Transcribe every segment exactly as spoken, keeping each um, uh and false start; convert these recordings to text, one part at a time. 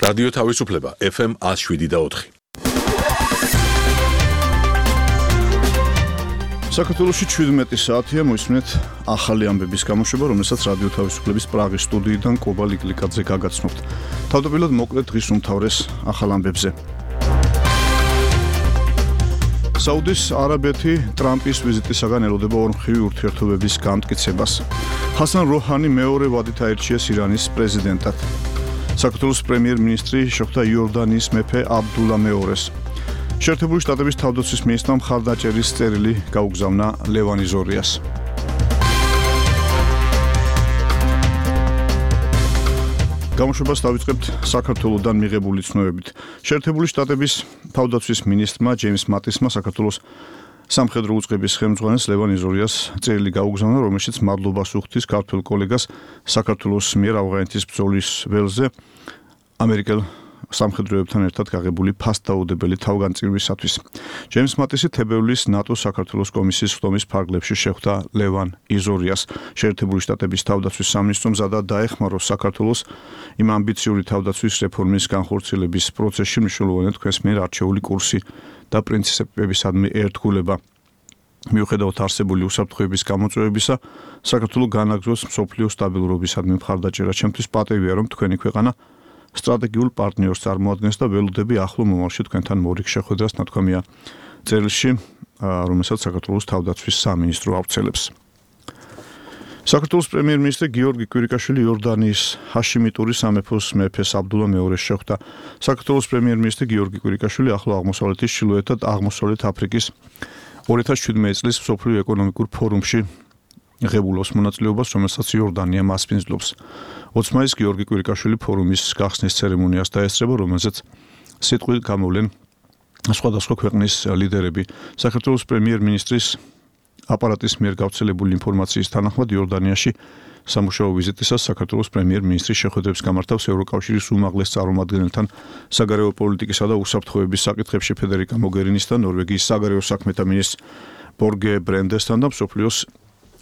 რადიო თავისუფლება ეფ ემ one oh seven და four. საქართველოში შვიდმეტი საათია მოისმენთ ახალი ამბების გამოშვება, რომელსაც რადიო თავისუფლების პრაღის სტუდიიდან კობა ლიკლიკაძე გაგაცნობთ. თავდაპირველად მოკლედ დღის უმთავრეს ახალ ამბებზე. საუდის არაბეთი ტრამპის ვიზიტისაგან ელოდება ორმხრივი ურთიერთობების გამტკიცებას. ჰასან როჰანი მეორე ვადით აირჩიეს ირანის პრეზიდენტად. საქართველოს პრემიერ-მინისტრი შეხვდა იორდანიის მეფე აბდულა მეორეს. შეერთებული შტატების თავდაცვის მინისტრმა მხარდაჭერის წერილი გაუგზავნა ლევან იზორიას. გამოშვებას დავიწყებთ საქართველოსდან მიღებული ცნობებით. შეერთებული შტატების თავდაცვის მინისტრმა ჯეიმს მატისმა საქართველოს სამხედრო უწყების ხელმძღვანელს ლევან იზორიას წერილი გაუგზავნა, რომელშიც მადლობას უხდის ქართველ კოლეგას საქართველოს მიერ ავღანეთის ბრძოლის ველზე ამერიკელ სამხედროებთან ერთად გაღებული ფასდაუდებელი თავგანწირვისათვის. ჯეიმს მატისი თებერვლის ნატოს საქართველოს კომისიის ხდომის ფარგლებში შეხვდა ლევან იზორიას. შეერთებული შტატების თავდაცვის სამინისტრომ მზადა დაეხმაროს საქართველოს იმ ამბიციური თავდაცვის რეფორმის განხორციელების პროცესში მნიშვნელოვანი თქვენს მიერ არჩეული კურსი და პრინციპებისადმი ერთგულება. მიუხედავად არსებული უსაფრთხოების გამოწვევებისა, საქართველო განაგრძობს მსოფლიო სტაბილურობისადმი მხარდაჭერა. ჩემთვის პატივია, რომ თქვენი ქვეყანა სტრატეგიულ პარტნიორს წარმოადგენს და ველოდები ახლო მომავალში თქვენთან მორიგ შეხვედრას, ნათქვამია წერილში, რომელსაც საქართველოს თავდაცვის სამინისტრო ავრცელებს. საქართველოს პრემიერ-მინისტრი გიორგი კვირიკაშვილი იორდანიის ჰაშიმიტური სამეფოს მეფეს აბდულა მეორეს შეხვდა. საქართველოს პრემიერ-მინისტრი გიორგი კვირიკაშვილი ახლო აღმოსავლეთის, ჩრდილოეთ და აღმოსავლეთ აფრიკის two thousand seventeen წლის მსოფლიო ეკონომიკურ ფორუმში ღებულობს მონაწილეობას, რომელსაც იორდანია მასპინძლობს. ოცი მაისს გიორგი კვირიკაშვილი ფორუმის გახსნის ცერემონიას დაესწრება, რომელზეც სიტყვით გამოვლენ სხვადასხვა ქვეყნის ლიდერები. საქართველოს პრემიერ-მინისტრის აპარატის მიერ გავრცელებული ინფორმაციის თანახმად იორდანიაში სამუშაო ვიზიტისას საქართველოს პრემიერ-მინისტრი შეხვედრებს გამართავს ევროკავშირის უმაღლეს წარმომადგენელთან საგარეო პოლიტიკისა და უსაფრთხოების საკითხებში ფედერიკა მოგერინისთან, ნორვეგიის საგარეო საქმეთა მინისტრ ბორგე ბრენდესთან და მსოფლიოს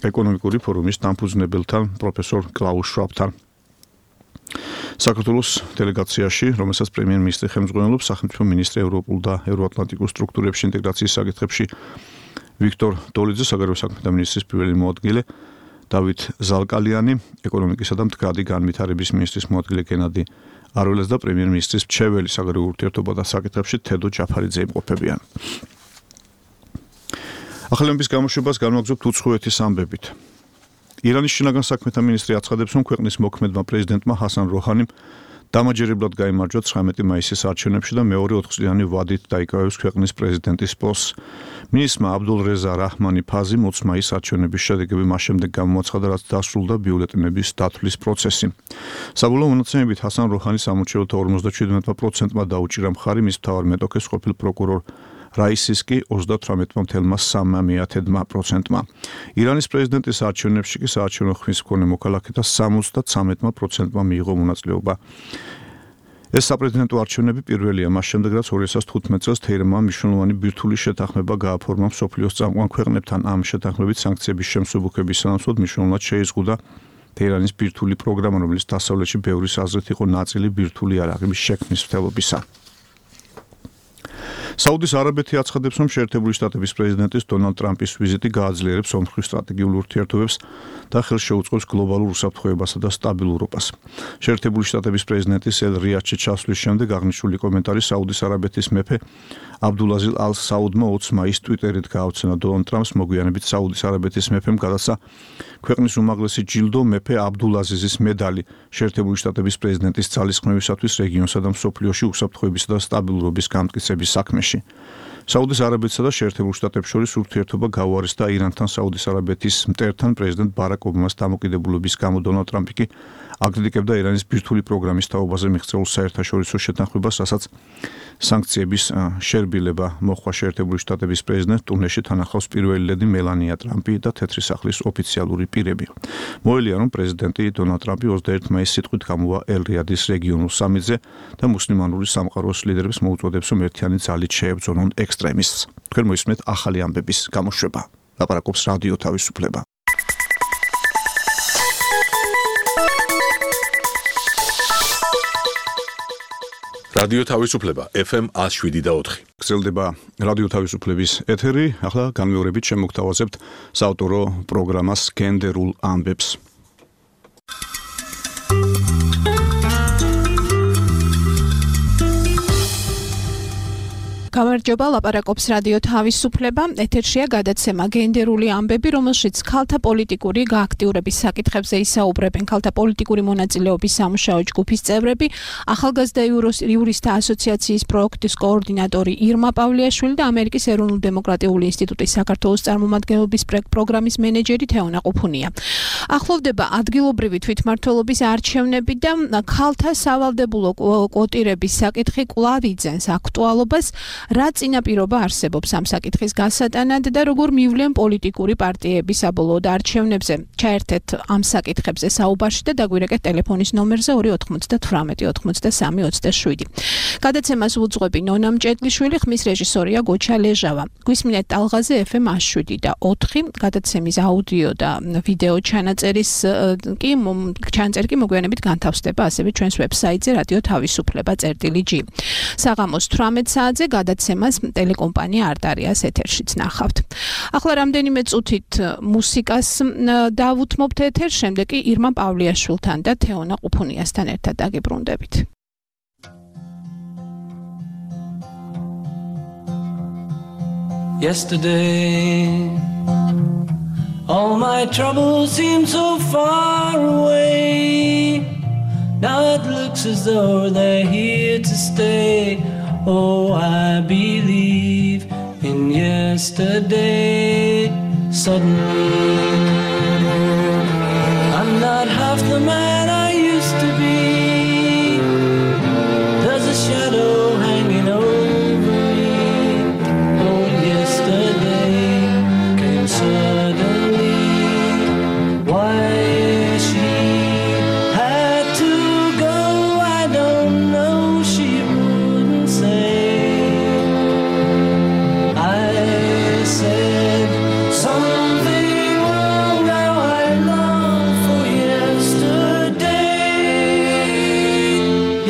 ეკონომიკური ფორუმის დამფუძნებელთან პროფესორ კლაუს შვაბთან. საქართველოს დელეგაციაში, რომელსაც პრემიერ-მინისტრი ხელმძღვანელობს, სახელმწიფო მინისტრი ევროპულ და ევროატლანტიკურ სტრუქტურებში ინტეგრაციის საკითხებში ვიქტორ დოლიძე, საგარეო საქმეთა მინისტრის პირველი მოადგილე დავით ზალკალიანი, ეკონომიკისა და მდგრადი განვითარების მინისტრის მოადგილე გენადი არველეს და პრემიერ-მინისტრის მრჩეველი საგარეო ურთიერთობათა საკითხებში თედო ჯაფარიძე იმყოფებიან. ახალი ამბების გამოშვებას განვაგრძობთ უცხოეთის ამბებით. ირანის შინაგან საქმეთა მინისტრი აცხადებს, რომ ქვეყნის მოქმედმა პრეზიდენტმა ჰასან როჰანიმ დამაჯერებლად გაიმარჯვა ცხრამეტი მაისის არჩევნებში და მეორე ოთხწლიანი ვადით დაიკავებს ქვეყნის პრეზიდენტის პოსტს. მინისტრმა აბდულ რეზა რაჰმანი ფაზიმ ოცი მაისის არჩევნების შედეგები მას შემდეგ გამოაცხადა, რაც დასრულდა ბიულეტენების დათვლის პროცესი. საბოლოო მონაცემებით ჰასან როჰანის სამორჩეულთა ორმოცდაშვიდმეტი პროცენტმა დაუჭირა მხარი მის მთავარ მეტოქეს ყოფილ პროკურორ რაისის კი ოცდათვრამეტი virgulă trei პროცენტმა. ირანის პრეზიდენტის არჩევნებში კი საარჩევნო ხმის მქონე მოქალაქეთა სამოცდათვრამეტი პროცენტმა მიიღო მონაწილეობა. ეს საპრეზიდენტო არჩევნები პირველია მას შემდეგ, რაც ორი ათას თხუთმეტი წელს თეირანმა მნიშვნელოვანი ბირთვული შეთანხმება გააფორმა მსოფლიოს წამყვან ქვეყნებთან. ამ შეთანხმებით სანქციების შემსუბუქების სანაცვლოდ მნიშვნელოვნად შეიზღუდა თეირანის ბირთვული პროგრამა, რომელიც დასავლეთში ბევრის აზრით იყო ნაწილი ბირთვული იარაღების შექმნის მცდელობისა. საუდის არაბეთი აცხადებს, რომ შეერთებული შტატების პრეზიდენტის დონალდ ტრამპის ვიზიტი გააძლიერებს ორმხრივ სტრატეგიულ ურთიერთობებს და ხელს შეუწყობს გლობალურ უსაფრთხოებასა და სტაბილურობას. შეერთებული შტატების პრეზიდენტის ელ რიადში ჩასვლის შემდეგ აღნიშნული კომენტარი საუდის არაბეთის მეფე აბდულაზილ ალ საუდმა ოცი მაისს ტვიტერით გაავრცელა. დონალდ ტრამპს მოგვიანებით საუდის არაბეთის მეფემ გადასცა ქვეყნის უმაღლესი ჯილდო მეფე აბდულაზიზის მედალი შეერთებული შტატების პრეზიდენტის ძალისხმევისათვის რეგიონსა და მსოფლიოში უსაფრთხოებისა და სტაბილურობის გამტკიცების საქმეში. საუდის არაბეთსა და შეერთებულ შტატებს შორის ურთიერთობა გაუარესდა ირანთან. საუდის არაბეთის მტერთან პრეზიდენტ ბარაკ ობამას დამოკიდებულების გამო დონალდ ტრამპი კი აკრიტიკებდა ირანის ბირთვული პროგრამის თაობაზე მიღწეულ საერთაშორისო შეთანხმებას, რასაც სანქციების შერბილება მოხდა. შეერთებული შტატების პრეზიდენტ ტურნეში თან ახლავს პირველი ლედი მელანია ტრამპი და თეთრი სახლის ოფიციალური პირები. მოელია, რომ პრეზიდენტი დონალდ ტრამპი ოცდაერთი მაისს სიტყვით გამოვა ელ-რიადის რეგიონულ სამიტზე და მუსლიმანური სამყაროს ლიდერებს მოუწოდებს, რომ ერთიანი ძალით შეებრძოლონ ექსტრემისტს. თქვენ მოისმენთ ახალი ამბების გამოშვება. ლაპარაკობს რადიო თავისუფლება. რადიო თავისუფლება ეფ ემ one oh seven point four. გრძელდება რადიო თავისუფლების ეთერი. ახლა განმეორებით შემოგთავაზებთ საავტორო პროგრამას გენდერულ ამბებს. გამარჯობა, ლაპარაკობს რადიო თავისუფლება. ეთერშია გადაცემა გენდერული ამბები, რომელშიც ქალთა პოლიტიკური გააქტიურების საკითხებზე ისაუბრებენ ქალთა პოლიტიკური მონაწილეობის სამუშაო ჯგუფის წევრები, ახალგაზრდა იურისტთა ასოციაციის პროექტის კოორდინატორი ირმა პავლიაშვილი და ამერიკის ეროვნულ-დემოკრატიული ინსტიტუტის საქართველოს წარმომადგენლობის პროგრამის მენეჯერი თეონა ყუფუნია. ახლოვდება ადგილობრივი თვითმმართველობის არჩევნები და ქალთა სავალდებულო კვოტირების საკითხი კვლავ იძენს აქტუალობას. რა წინაპირობა არსებობს ამ საკითხის გასატანად და როგორ მივლენ პოლიტიკური პარტიები საბოლოოდ არჩევნებზე? ჩაერთეთ ამ საკითხებზე საუბარში და დაგვირეკეთ ტელეფონის ნომერზე ორი ოთხმოცდათვრამეტი ოცდასამი ოცდაშვიდი. გადაცემას უძღვები ნონა მჭედლიშვილი, ხმის რეჟისორია გოჩა ლეჟავა. გვისმინეთ ტალღაზე ეფ ემ one oh seven point four. გადაცემის აუდიო და ვიდეო ჩანაწერის კი ჩანაწერი კი მოგვიანებით განთავსდება ასევე ჩვენს ვებსაიტზე რადიო თავისუფლება წერტილი ჯი. საღამოს თვრამეტ საათზე გადაცემას ტელეკომპანია არტარიას ეთერშიც ნახავთ. ახლა რამდენიმე წუთით მუსიკას დავუთმობთ ეთერს, შემდეგ კი ირმა პავლიაშვილთან და თეონა ყუფუნიასთან ერთად დაგიბრუნდებით. Yesterday, all my troubles seem so far away. Now it looks as though they're here to stay. Oh, I believe in yesterday. Suddenly, I'm not half the man I used to be. There's a shadow hanging over me. Oh, yesterday came suddenly. Why she had to go, I don't know. She wouldn't say. I said something wrong. Now I long for yesterday.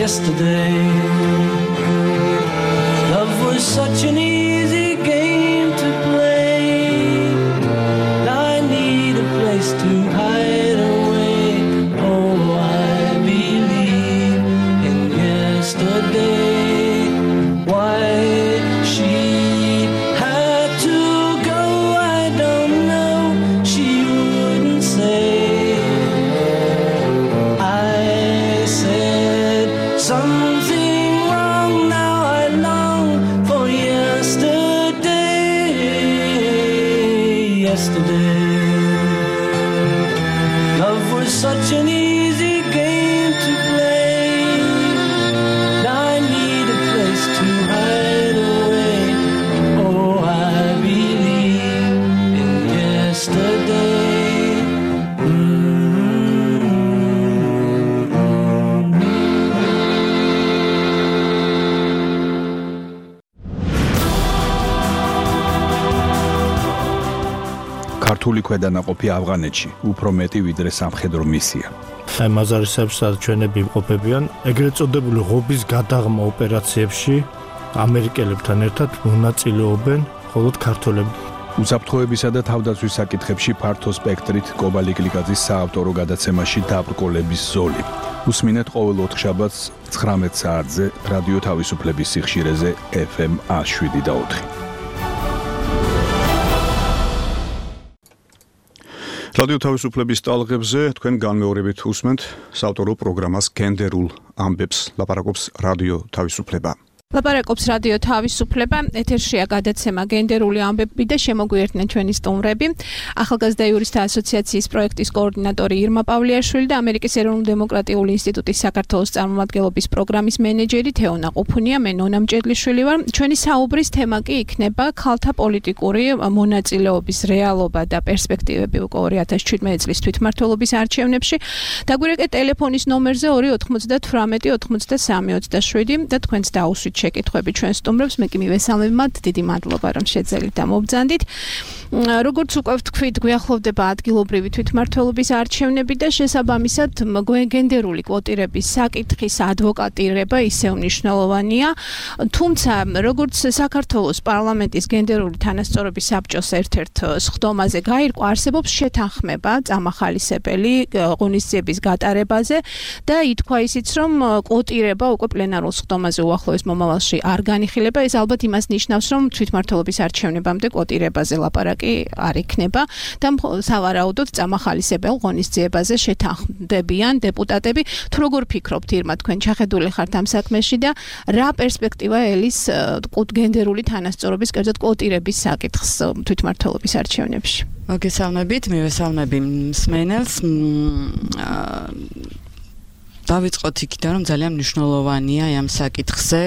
Yesterday, love was such an easy game to play. Now I need a place to hide away. Oh, I believe in yesterday. Why she had to go, I don't know. She wouldn't say. I said something wrong. Now I long for yesterday. Yesterday, love was such an easy game to play. Now I need a place to hide away. Oh, I believe in yesterday. ქართული ქვედანაყოფი ავღანეთში უფრო მეტი ვიდრე სამხედრო მისია. აი მაზარისებს ჩვენები იმყოფებიან ეგრეთ წოდებული ღობის გადაღმა ოპერაციებში ამერიკელებთან ერთად მონაწილეობენ მხოლოდ ქართველები. უსაფრთხოებისა და თავდაცვის საკითხებში ფართო სპექტრით კობალი გლიკაძის საავტორო გადაცემაში დაბრკოლების ზოლი. უსმინეთ ყოველ ოთხშაბათს ცხრამეტ საათზე რადიო თავისუფლების სიხშირეზე ეფ ემ one oh seven point four. რადიო თავისუფლების ტალღებზე თქვენ განმეორებით უსმენთ საავტორო პროგრამას გენდერულ ამბებს. ლაპარაკობს რადიო თავისუფლება. ლაპარაკობს რადიო თავისუფლება, ეთერშია გადაცემა გენდერული ამბები და შემოგვიერთნენ ჩვენი სტუმრები. ახალგაზრდა იურისტთა ასოციაციის პროექტის კოორდინატორი ირმა პავლიაშვილი და ამერიკის ეროვნულ-დემოკრატიული ინსტიტუტის საქართველოს წარმომადგენლობის პროგრამის მენეჯერი თეონა ყუფუნია. მე ნონა მჭედლიშვილი ვარ. ჩვენი საუბრის თემა კი იქნება ქალთა პოლიტიკური მონაწილეობის რეალობა და პერსპექტივები უკვე ორი ათას შვიდმეტი წლის თვითმმართველობის არჩევნებში. დაგვირეკეთ ტელეფონის ნომერზე ორი ოთხმოცდათვრამეტი ოცდასამი ოცდაშვიდი და თქვენც დაუსვით შეკითხვები ჩვენ სტუმრებს, მე კი მივესალმებთ, დიდი მადლობა რომ შეძელით და მობრძანდით. როგორც უკვე ვთქვით, გვიახლოვდება ადგილობრივი თვითმმართველობის არჩევნები და შესაბამისად გენდერული კვოტირების საკითხის ადვოკატირება ისევ მნიშვნელოვანია. თუმცა, როგორც საქართველოს პარლამენტის გენდერული თანასწორობის საბჭოს ერთ-ერთ სხდომაზე გაირკვა, არსებობს შეთანხმება წამახალისებელი ღონისძიების გატარებაზე და ითქვა ისიც, რომ კვოტირება უკვე პლენარულ სხდომაზე უახლოეს მომავალში არ განიხილება. ეს ალბათ იმას ნიშნავს, რომ თვითმმართველობის არჩევნებამდე კვოტირებაზე ლაპარაკი არ იქნება და სავარაუდოდ წამახალისებელ ღონისძიებაზე შეთანხმდებიან დეპუტატები. თუ როგორ ფიქრობთ, ირმა, თქვენ ჩახედული ხართ ამ საქმეში და რა პერსპექტივა ელის გენდერული თანასწორობის, კერძოდ კვოტირების საკითხს თვითმმართველობის არჩევნებში? მოგესალმებით, მივესალმები მსმენელს. დავიწყოთ იქიდან, რომ ძალიან მნიშვნელოვანია ამ საკითხზე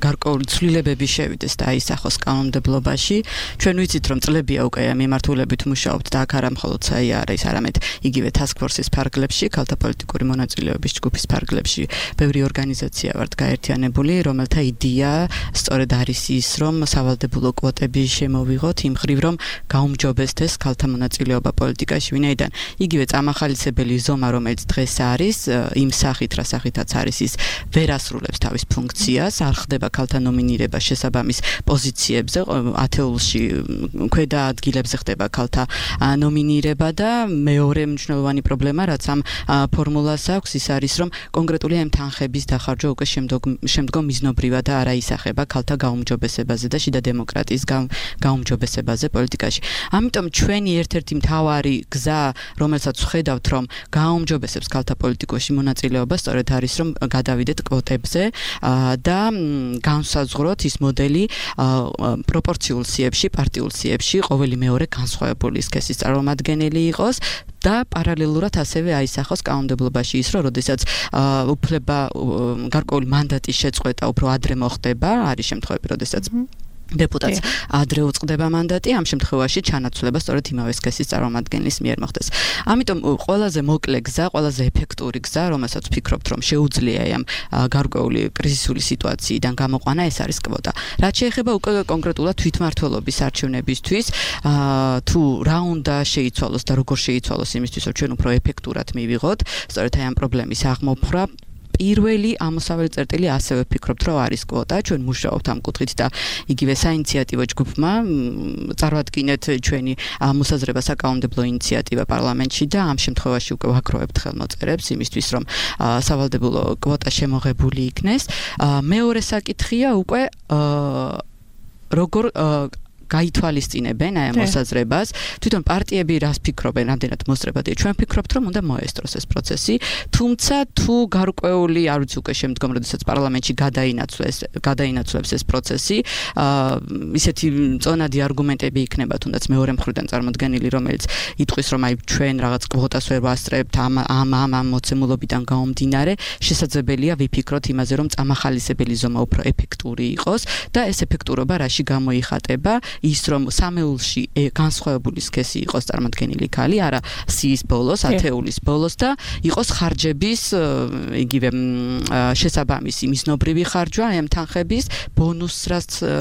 გარკვეული ცვლილებები შევიდეს და აისახოს კანონმდებლობაში. ჩვენ ვიცით, რომ წლებია უკვე მიმართულებით მუშაობთ და აქ არა მხოლოდ საიარის, არამედ იგივე task force-ის ფარგლებში, ქალთა პოლიტიკური მონაწილეობის ჯგუფის ფარგლებში ბევრი ორგანიზაცია ვართ გაერთიანებული, რომელთა იდეა სწორედ არის ის, რომ სავალდებულო კვოტები შემოვიღოთ იმ ხრივ, რომ გაუმჯობესდეს ქალთა მონაწილეობა პოლიტიკაში, ვინაიდან იგივე წამახალისებელი ზომა, რომელიც დღეს არის იმ სახით, რა სახითაც არის ის ვერ ასრულებს თავის ფუნქციას, არ ხდება ქალთა ნომინირება შესაბამის პოზიციებზე, ათეულში ქვედა ადგილებზე ხდება ქალთა ნომინირება და მეორე მნიშვნელოვანი პრობლემა, რაც ამ ფორმულას აქვს, ის არის, რომ კონკრეტული ამ თანხების დახარჯვა უკვე შემდგომ მიზნობრივად და არა ისახება ქალთა გაუმჯობესებაზე და შიდა დემოკრატიის გაუმჯობესებაზე პოლიტიკაში. ამიტომ ჩვენი ერთ-ერთი მთავარი გზა, რომელსაც ვხედავთ, რომ გაუმჯობესებს ქალთა პოლიტიკაში მონაწილეობა სწორედ არის, რომ გადავიდეთ კვოტებზე და განსაზღვროთ ის მოდელი პროპორციულ სიებში, პარტიულ სიებში ყოველი მეორე განსხვავებული სქესის წარმომადგენელი იყოს და პარალელურად ასევე აისახოს კანონმდებლობაში ის, რომ როდესაც უფლება გარკვეული მანდატის შეწყვეტა უფრო ადრე მოხდება, არის შემთხვევები, როდესაც დეპუტატს ადრე უწყდება მანდატი, ამ შემთხვევაში ჩანაცვლება სწორედ იმავე სქესის წარმომადგენლის მიერ მოხდეს. ამიტომ ყველაზე მოკლე გზა, ყველაზე ეფექტური გზა, რომელსაც ვფიქრობთ, რომ შეუძლია ამ გარკვეული კრიზისული სიტუაციიდან გამოყვანა, ეს არის კვოტა. რაც შეეხება უკვე კონკრეტულად თვითმმართველობის არჩევნებისთვის, თუ რა უნდა შეიცვალოს და როგორ შეიცვალოს იმისთვის, რომ ჩვენ უფრო ეფექტურად მივიღოთ, სწორედ აი ამ პრობლემის აღმოფხვრა პირველი ამოსავალი წერტილი ასევე ვფიქრობთ, რომ არის კვოტა, ჩვენ მუშაობთ ამ კუთხით და იგივე საინიციატივო ჯგუფმა წარვადგინეთ ჩვენი მოსაზრება საკანონმდებლო ინიციატივა პარლამენტში და ამ შემთხვევაში უკვე ვაგროვებთ ხელმოწერებს იმისთვის, რომ სავალდებულო კვოტა შემოღებული იქნეს. მეორე საკითხია უკვე როგორ გაითვალისწინებენ აი ამ მოსაზრებას. თვითონ პარტიები რას ფიქრობენ, რამდენად მოსწრებადია. ჩვენ ვფიქრობთ, რომ უნდა მოესწროს ეს პროცესი, თუმცა თუ გარკვეული, არ ვიცი უკვე შემდგომ, როდესაც პარლამენტში გადაინაცვლეს, გადაინაცვლებს ეს პროცესი, ისეთი წონადი არგუმენტები იქნება, თუნდაც მეორე მხრიდან წარმოდგენილი, რომელიც იტყვის, რომ აი ჩვენ რაღაც კვოტას ვერ ვასწრებთ ამ ამ ამ მოცემულობიდან გამომდინარე, შესაძლებელია ვიფიქროთ იმაზე, რომ წამახალისებელი ზომა უფრო ეფექტური იყოს და ეს ეფექტურობა რაში გამოიხატება? ის რომ სამეულში განსხვავებული სქესი იყოს წარმოდგენილი ქალი, არა სიის ბოლოს, ათეულის ბოლოს და იყოს ხარჯების იგივე შესაბამისი მიზნობრივი ხარჯვა ამ თანხების ბონუს,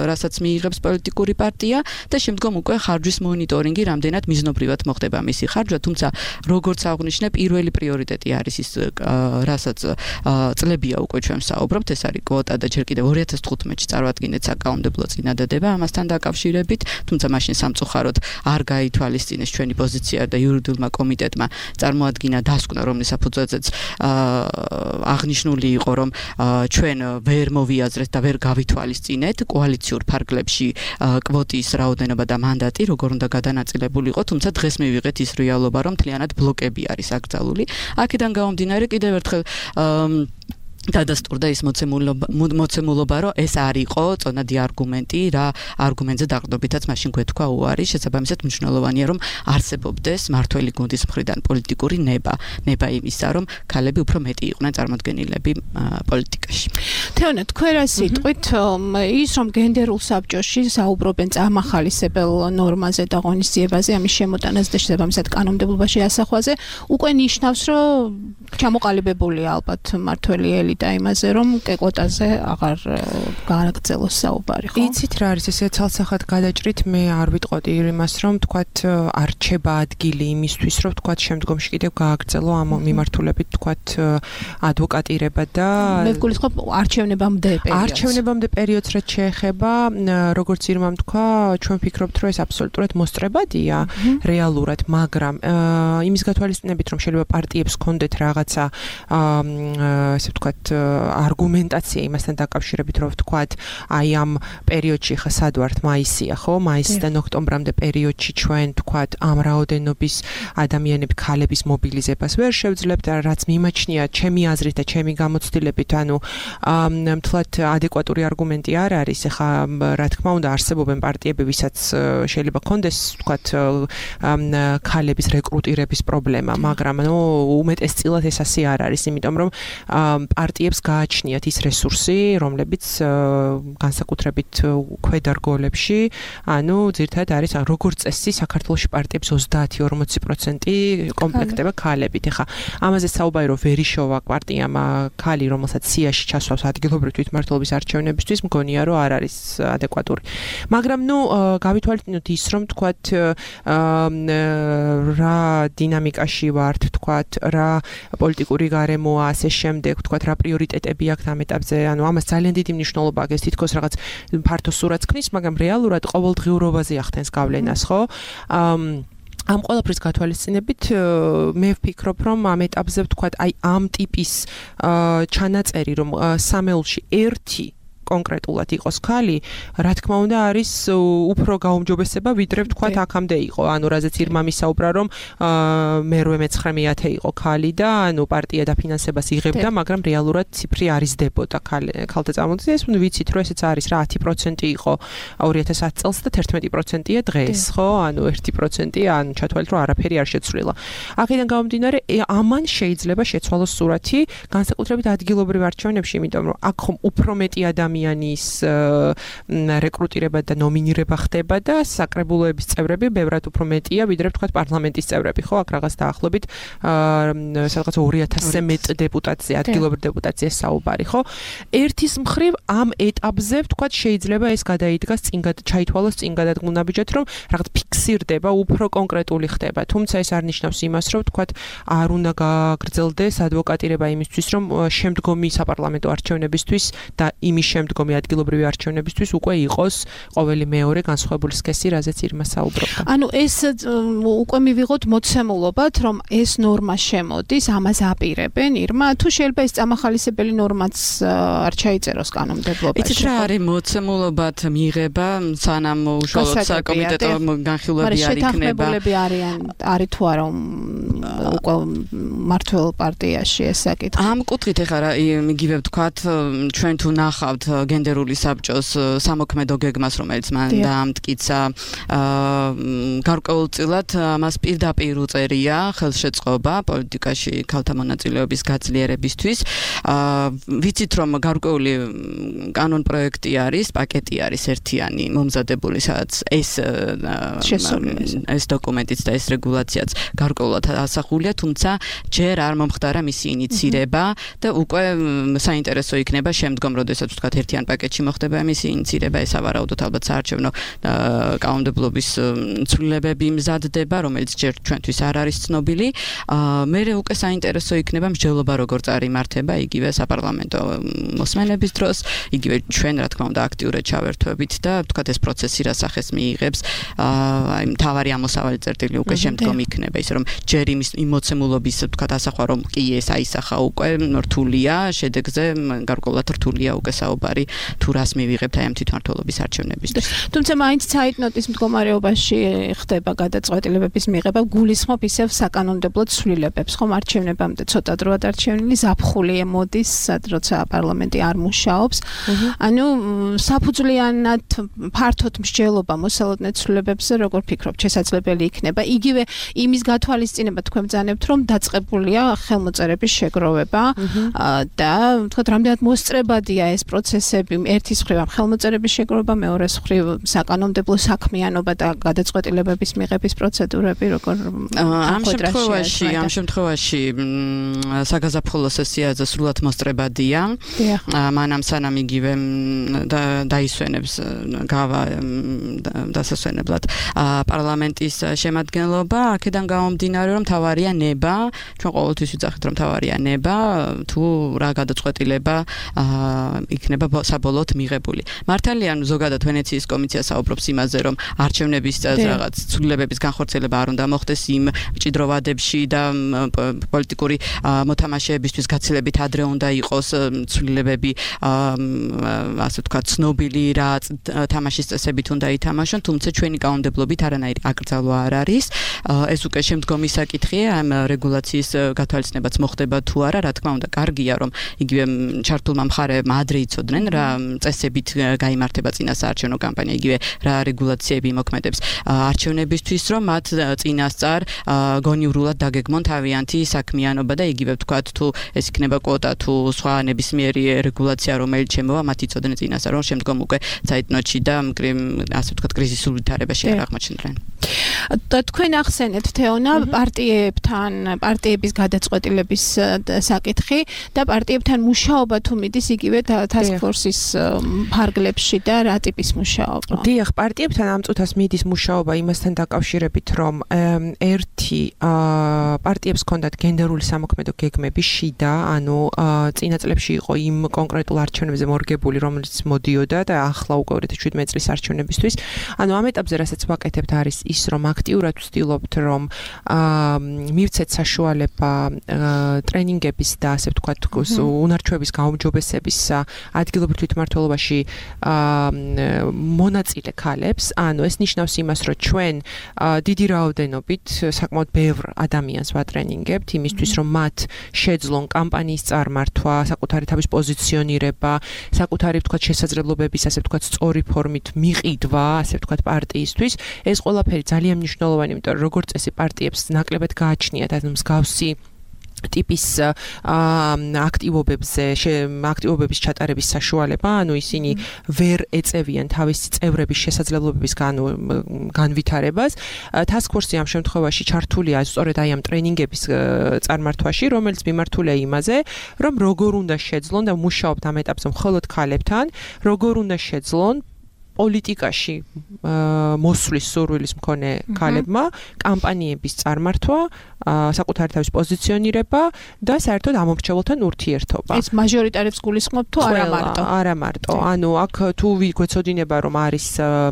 რასაც მიიღებს პოლიტიკური პარტია და შემდგომ უკვე ხარჯვის მონიტორინგი, რამდენად მიზნობრივად მოხდება მისი ხარჯვა, თუმცა როგორც აღნიშნე, პირველი პრიორიტეტი არის ის, რასაც წლებია უკვე ჩვენ საუბრობთ, ეს არის კვოტა და ჯერ კიდევ ორი ათას თხუთმეტში წარვადგინეთ საკანონმდებლო წინადადება ამასთან დაკავშირებით, თუმცა მაშინ სამწუხაროდ არ გაითვალისწინეს ჩვენი პოზიცია და იურიდიულმა კომიტეტმა წარმოადგინა დასკვნა, რომლის საფუძველზეც აღნიშნული იყო, რომ ჩვენ ვერ მოვიაზრეთ და ვერ გავითვალისწინეთ კოალიციურ ფარგლებში კვოტის რაოდენობა და მანდატი, როგორ უნდა გადანაწილებული იყო, თუმცა დღეს მივიღეთ ის რეალობა, რომ მთლიანად ბლოკები არის აკრძალული. აქედან გამომდინარე კიდევ ერთხელ დადასტურდა ის მოცემულობა, რომ ეს არ იყო წონადი არგუმენტი, რა არგუმენტზე დაყრდნობითაც მაშინ გვეთქვა უარი, შესაბამისად მნიშვნელოვანია, რომ არსებობდეს მართველი გუნდის მხრიდან პოლიტიკური ნება, ნება იმისა, რომ ქალები უფრო მეტი იყვნენ წარმოდგენილები პოლიტიკაში. თეონა, თქვენ რა სიტყვით, ის რომ გენდერულ საბჭოში საუბრობენ წამახალისებელ ნორმაზე და ღონისძიებაზე, ამის შემოტანაზე და შესაბამისად კანონმდებლობაში ასახვაზე, უკვე ნიშნავს, რომ ჩამოყალიბებულია ალბათ მართველი გახსნილი და იმაზე რომ კეკვოტაზე აღარ გააგრძელოს საუბარი, ხო? იცით რა არის ესე ცალსახად გადაჭრით მე არ ვიტყოდი იმას რომ თქვათ არჩება ადგილი იმისთვის რომ თქვათ შემდგომში კიდევ გააგრძელო ამ მიმართულებით თქვათ ადვოკატირება და მე ვგულისხმობ არჩევნებამდე პერიოდს. არჩევნებამდე პერიოდს რაც შეეხება როგორც ირმამ თქვა ჩვენ ვფიქრობთ რომ ეს აბსოლუტურად მოსწრებადია რეალურად მაგრამ იმის გათვალისწინებით რომ შეიძლება პარტიებს კონდეთ რაღაცა ესე ვთქვათ არგუმენტაცია იმასთან დაკავშირებით რომ ვთქვათ აი ამ პერიოდში ხა სად ვართ მაისია ხო მაისიდან ოქტომბრამდე პერიოდში ჩვენ ვთქვათ ამ რაოდენობის ადამიანები ქალების მობილიზებას ვერ შევძლებთ რაც მიმაჩნია ჩემი აზრით და ჩემი გამოცდილებით ანუ მთლად ადეკვატური არგუმენტი არ არის ეხა რა თქმა უნდა არსებობენ პარტიები ვისაც შეიძლება კონდეს ვთქვათ ქალების რეკრუტირების პრობლემა მაგრამ ნუ უმეტესწილად ეს ასე არ არის იმიტომ რომ პარტიებს გააჩნიათ ის რესურსი რომლებიც განსაკუთრებით ქვედა რგოლებში ანუ ძირთადად არის როგორც წესი საქართველოში პარტიებს ოცდაათი ორმოცი პროცენტი კომპლექტება ქალებით ეხა ამაზე საუბარი რომ ვერიშოვა პარტიამ ქალი რომელსაც სიაში ჩასვავს ადგილობრივი თვითმმართველობის არჩევნებისთვის მგონია რომ არ არის ადეკვატური მაგრამ ნუ გავითვალისწინოთ ის რომ თქვათ რა დინამიკაში ვართ თქვათ რა პოლიტიკური გარემოა ასე შემდეგ თქვათ რა პრიორიტეტები აქვს ამ ეტაპზე ანუ ამას ძალიან დიდი მნიშვნელობა აქვს თითქოს რაღაც ფართო სურათს ქმნის მაგრამ რეალურად ყოველდღიურობაზე ახდენს გავლენას ხო ამ ყველაფრის გათვალისწინებით მე ვფიქრობ რომ ამ ეტაპზე ვთქვათ აი ამ ტიპის ჩანაწერი რომ სამეულში ერთი კონკრეტულად იყოს ქალი, რა თქმა უნდა არის უფრო გაუმჯობესება ვიდრე ვთქვათ აქამდე იყო. ანუ რაზეც ირმა მისაუბრა რომ მერვე მეცხრე მეათე იყო ქალი და ანუ პარტია დაფინანსებას იღებდა, მაგრამ რეალურად ციფრი არ იზრდებოდა ქალთა წარმომადგენლobis. ეს ვიცით რომ ესეც არის რა ათი პროცენტი იყო ორი ათას ათი წელს და თერთმეტი პროცენტია დღეს, ხო? ანუ ერთი პროცენტი ან ჩათვალეთ რომ არაფერი არ შეცვლილა. აქედან გამომდინარე ამან შეიძლება შეცვალოს სურათი განსაკუთრებით ადგილობრივ არჩევნებში, იმიტომ რომ აქ ხომ უფრო მეტი ადამიანის რეკრუტირება და ნომინირება ხდება და საკრებულოების წევრები ბევრად უფრო მეტია ვიდრე ვთქვათ პარლამენტის წევრები, ხო? აქ რაღაც დაახლოებით სადღაც ორი ათასზე მეტ დეპუტატზე, ადგილობრივ დეპუტატზე საუბარი, ხო? ერთის მხრივ ამ ეტაპზე ვთქვათ შეიძლება ეს გადაიდგას წინ ჩაითვალოს წინ გადადგმუნაბიჯად რომ რაღაც ფიქსირდება, უფრო კონკრეტული ხდება. თუმცა ეს არ ნიშნავს იმას, რომ ვთქვათ არ უნდა გააგრძელდეს ადვოკატირება იმისთვის, რომ შემდგომი საპარლამენტო არჩევნებისთვის და იმის შემდგომი ადგილობრივი არჩევნებისთვის უკვე იყოს ყოველი მეორე განსხვავებული სქესი, რაზეც ირმა საუბრობდა. ანუ ეს უკვე მივიღოთ მოცემულობად, რომ ეს ნორმა შემოდის, ამას აპირებენ ირმა, თუ შეიძლება ეს წამახალისებელი ნორმაც არ ჩაიწეროს კანონმდებლობაში. იცით რა არის მოცემულობად მიღება, სანამ უშუალოდ საკომიტეტო განხილვები არ იქნება. შეთანხმებულები არიან, არის თუ არა უკვე მართლ პარტიაში ეს საკითხი. ამ კუთხით ეხლა რა იგივე ვთქვათ, ჩვენ თუ ნახავთ გენდერული საბჭოს სამოქმედო გეგმას, რომელიც მან დაამტკიცა, გარკვეულწილად მას პირდაპირ უწერია ხელშეწყობა პოლიტიკაში ქალთა მონაწილეობის გაძლიერებისთვის. ვიცით რომ გარკვეული კანონ პროექტი არის, პაკეტი არის ერთიანი მომზადებული, სადაც ეს ეს დოკუმენტიც და ეს რეგულაციაც გარკვეულად ასახულია, თუმცა ჯერ არ მომხდარა მისი ინიცირება და უკვე საინტერესო იქნება შემდგომ, როდესაც ვთქვათ ერთიან პაკეტში მოხდება მისი ინიცირება, ეს ავარაუდოთ ალბათ საარჩევნო კანონმდებლობის ცვლილებები მზადდება, რომელიც ჯერ ჩვენთვის არ არის ცნობილი. მე უკვე საინტერესო იქნება მსჯელობა როგორ წარიმართება იგივე საპარლამენტო მოსმენების დროს, იგივე ჩვენ რა თქმა უნდა აქტიურად ჩავერთვებით და ვთქვათ ეს პროცესი რა სახეს მიიღებს, აი მთავარი ამოსავალი წერტილი უკვე შემდგომ იქნება, ისე რომ ჯერ იმის იმოცემულობის ვთქვათ ასახვა რომ კი ეს აისახა უკვე რთულია, შედეგზე გარკვეულად რთულია უკვე საუბარი თუ რას მივიღებთ აი ამ თვითმმართველობის არჩევნებისთვის. თუმცა მაინც ცაიტნოტის მდგომარეობაში ხდება გადაწყვეტილებების მიღება, გულისხმობ ისევ საკანონმდებლო ცვლილებებს, ხომ არჩევნებამდე ცოტა დროად არჩევნილი ზაფხული მოდის, სად როცა პარლამენტი არ მუშაობს. ანუ საფუძვლიანად ფართოდ მსჯელობა მოსალოდნელ ცვლილებებზე როგორ ფიქრობთ, შესაძლებელი იქნება იგივე იმის გათვალისწინება თქვენ ბრძანებთ, რომ დაწყებულია ხელმოწერების შეგროვება და ვთქვათ, რამდენად მოსწრებადია ეს პროცესი ინტერესები, ერთის მხრივ ხელმოწერების შეგროვება, მეორეს მხრივ საკანონმდებლო საქმიანობა და გადაწყვეტილებების მიღების პროცედურები, როგორ ამ შემთხვევაში, ამ შემთხვევაში საგაზაფხულო სესიაზე სრულად მოსწრებადია. მანამ სანამ იგივე დაისვენებს გავა დასასვენებლად პარლამენტის შემადგენლობა, აქედან გამომდინარე, რომ თავარია ნება, ჩვენ ყოველთვის ვიძახით, რომ თავარია ნება, თუ რა გადაწყვეტილება იქნება საბოლოოდ მიღებული. მართალია, ზოგადად ვენეციის კომისია საუბრობს იმაზე, რომ არჩევნების რაღაც ცვლილებების განხორციელება არ უნდა მოხდეს იმ მჭიდრო ვადებში და პოლიტიკური მოთამაშეებისთვის გაცილებით ადრე უნდა იყოს ცვლილებები, ასე ვთქვათ, ცნობილი რა თამაშის წესებით უნდა ითამაშონ, თუმცა ჩვენი კანონმდებლობით არანაირი აკრძალვა არ არის. ეს უკვე შემდგომი საკითხია, ამ რეგულაციის გათვალისწინებაც მოხდება თუ არა, რა თქმა უნდა, კარგია, რომ იგივე ჩართულმა მხარეებმა ადრე იცოდნენ რა წესებით გაიმართება წინა საარჩევნო კამპანია, იგივე რა რეგულაციები იმოქმედებს არჩევნებისთვის, რომ მათ წინასწარ გონივრულად დაგეგმონ თავიანთი საქმიანობა და იგივე ვთქვათ, თუ ეს იქნება კვოტა, თუ სხვა ნებისმიერი რეგულაცია, რომელიც შემოვა, მათ იცოდნენ წინასწარ, რომ შემდგომ უკვე საიტნოტში და ასე ვთქვათ, კრიზისულ ვითარებაში არ აღმოჩნდნენ. და თქვენ ახსენეთ თეონა პარტიებთან, პარტიების გადაწყვეტილების საკითხი და პარტიებთან მუშაობა თუ მიდის იგივე task force-ის ფარგლებში და რა ტიპის მუშაობა? დიახ, პარტიებთან ამ წუთას მიდის მუშაობა იმასთან დაკავშირებით, რომ ერთი პარტიებს ჰქონდათ გენდერული სამოქმედო გეგმები შიდა, ანუ წინა წლებში იყო იმ კონკრეტულ არჩევნებზე მორგებული, რომელიც მოდიოდა და ახლა უკვე ორი ათი შვიდმეტი წლის არჩევნებისთვის. ანუ ამ ეტაპზე რასაც ვაკეთებთ არის ის, რომ აქტიურად ვცდილობთ, რომ მივცეთ საშუალება ტრენინგების და ასე ვთქვათ, უნარჩვების გაუმჯობესების ადგილობრივ თვითმმართველობაში მონაწილე ქალებს. ანუ ეს ნიშნავს იმას, რომ ჩვენ დიდი რაოდენობით საკმაოდ ბევრ ადამიანს ვატრენინგებთ იმისთვის, რომ მათ შეძლონ კამპანიის წარმართვა, საკუთარი თავის პოზიციონირება, საკუთარი ვთქვათ შესაძლებლობების, ასე ვთქვათ, სწორი ფორმით მიყიდვა, ასე ვთქვათ, პარტიისთვის. ეს ყველაფერი ძალიან მნიშვნელოვანი, იმიტომ რომ როგორც წესი პარტიებს ნაკლებად გააჩნიათ ამ მსგავსი ტიპის აქტივობებზე, აქტივობების ჩატარების საშუალება, ანუ ისინი ვერ ეწევიან თავისი წევრების შესაძლებლობების განვითარებას. Task Force-ი ამ შემთხვევაში ჩართულია სწორედ აი ამ ტრენინგების წარმართვაში, რომელიც მიმართულია იმაზე, რომ როგორ უნდა შეძლონ და მუშაობთ ამ ეტაპზე მხოლოდ ქალებთან, როგორ უნდა შეძლონ პოლიტიკაში მოსვლის სურვილის მქონე ქალებმა კამპანიების წარმართვა, საკუთარი თავის პოზიციონირება და საერთოდ ამომრჩეველთან ურთიერთობა. ეს მაჟორიტარებს გულისხმობ თუ არა მარტო? არა მარტო. ანუ აქ თუ გვეცოდინება, რომ არის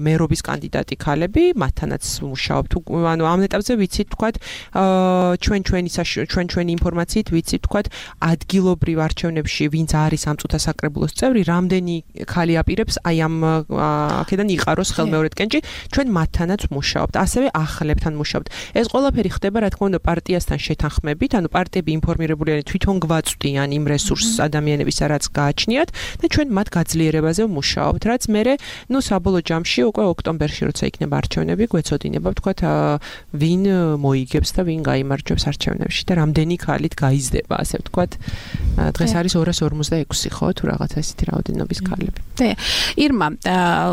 მერობის კანდიდატი ქალები, მათთანაც მუშაობთ. ანუ ამ ეტაპზე ვიცით, თქვათ, ჩვენ ჩვენი ჩვენ ჩვენი ინფორმაციით ვიცით, თქვათ, ადგილობრივ არჩევნებში ვინც არის ამ წუთას საკრებულოს წევრი, რამდენი ქალი აპირებს აი ამ აქედან იყაროს ხელმეორედ კენჭი, ჩვენ მათთანაც მუშაობთ, ასევე ახლებთან მუშაობთ. ეს ყველაფერი ხდება, რა თქმა უნდა, პარტიასთან შეთანხმებით, ანუ პარტიები ინფორმირებული არიან, თვითონ გვაწვდიან იმ რესურსს ადამიანებისა, რაც გააჩნიათ და ჩვენ მათ გაძლიერებაზე ვმუშაობთ, რაც მერე, ნუ საბოლოო ჯამში უკვე ოქტომბერში, როცა იქნება არჩევნები, გვეცოდინება, ვთქვათ, ვინ მოიგებს და ვინ გაიმარჯვებს არჩევნებში და რამდენი ქალით გაიზრდება, ასე ვთქვათ. დღეს არის ორას ორმოცდაექვსი, ხო, თუ რაღაცა ისეთი რაოდენობის ქალები. და ირმა,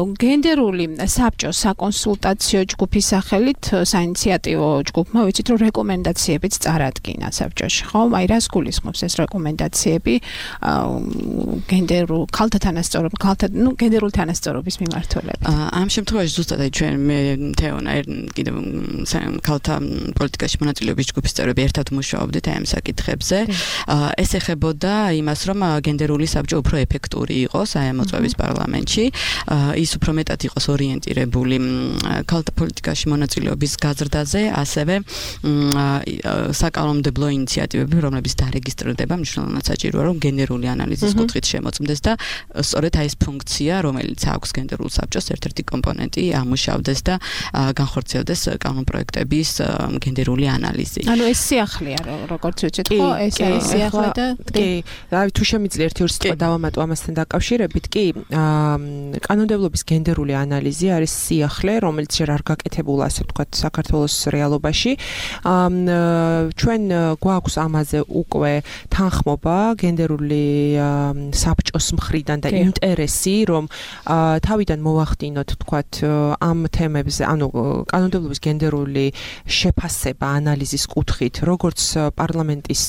გენდერული საბჭო საკონსულტაციო ჯგუფის სახელით საინიციატივო ჯგუფმა ვიცით, რომ რეკომენდაციებიც წარადგინა საბჭოში, ხო? აი რას გულისხმობს ეს რეკომენდაციები გენდერულ ქალთა თანასწორობის, ქალთა, ნუ გენდერული თანასწორობის მიმართულებით? ამ შემთხვევაში ზუსტად აი ჩვენ მე თეონა კიდევ ქალთა პოლიტიკაში მონაწილეობის ჯგუფის წევრები ერთად მუშაობდით აი ამ საკითხებზე. ეს ეხებოდა იმას, რომ გენდერული საბჭო უფრო ეფექტური იყოს აი ამ მოწვევის პარლამენტში. ის უფრო მეტად იყოს ორიენტირებული ქალთა პოლიტიკაში მონაწილეობის გაზრდაზე, ასევე საკანონმდებლო ინიციატივები, რომლებიც დარეგისტრირდება, მნიშვნელოვნად საჭიროა, რომ გენდერული ანალიზის კუთხით შემოწმდეს და სწორედ აი ეს ფუნქცია, რომელიც აქვს გენდერულ საბჭოს ერთ-ერთი კომპონენტი, ამუშავდეს და განხორციელდეს კანონპროექტების გენდერული ანალიზი. ანუ ეს სიახლეა, როგორც ვიცით, ხო, ეს არის სიახლე და კი, რავი, თუ შემიძლია ერთი-ორი სიტყვა დავამატო ამასთან დაკავშირებით, კი, კანონმდებლობის გენდერული ანალიზი არის სიახლე, რომელიც ჯერ არ გაკეთებულა, ასე ვთქვათ, საქართველოს რეალობაში. ჩვენ გვაქვს ამაზე უკვე თანხმობა გენდერული საბჭოს მხრიდან და ინტერესი, რომ თავიდან მოვახდინოთ, ვთქვათ, ამ თემებზე, ანუ კანონმდებლობის გენდერული შეფასება ანალიზის კუთხით, როგორც პარლამენტის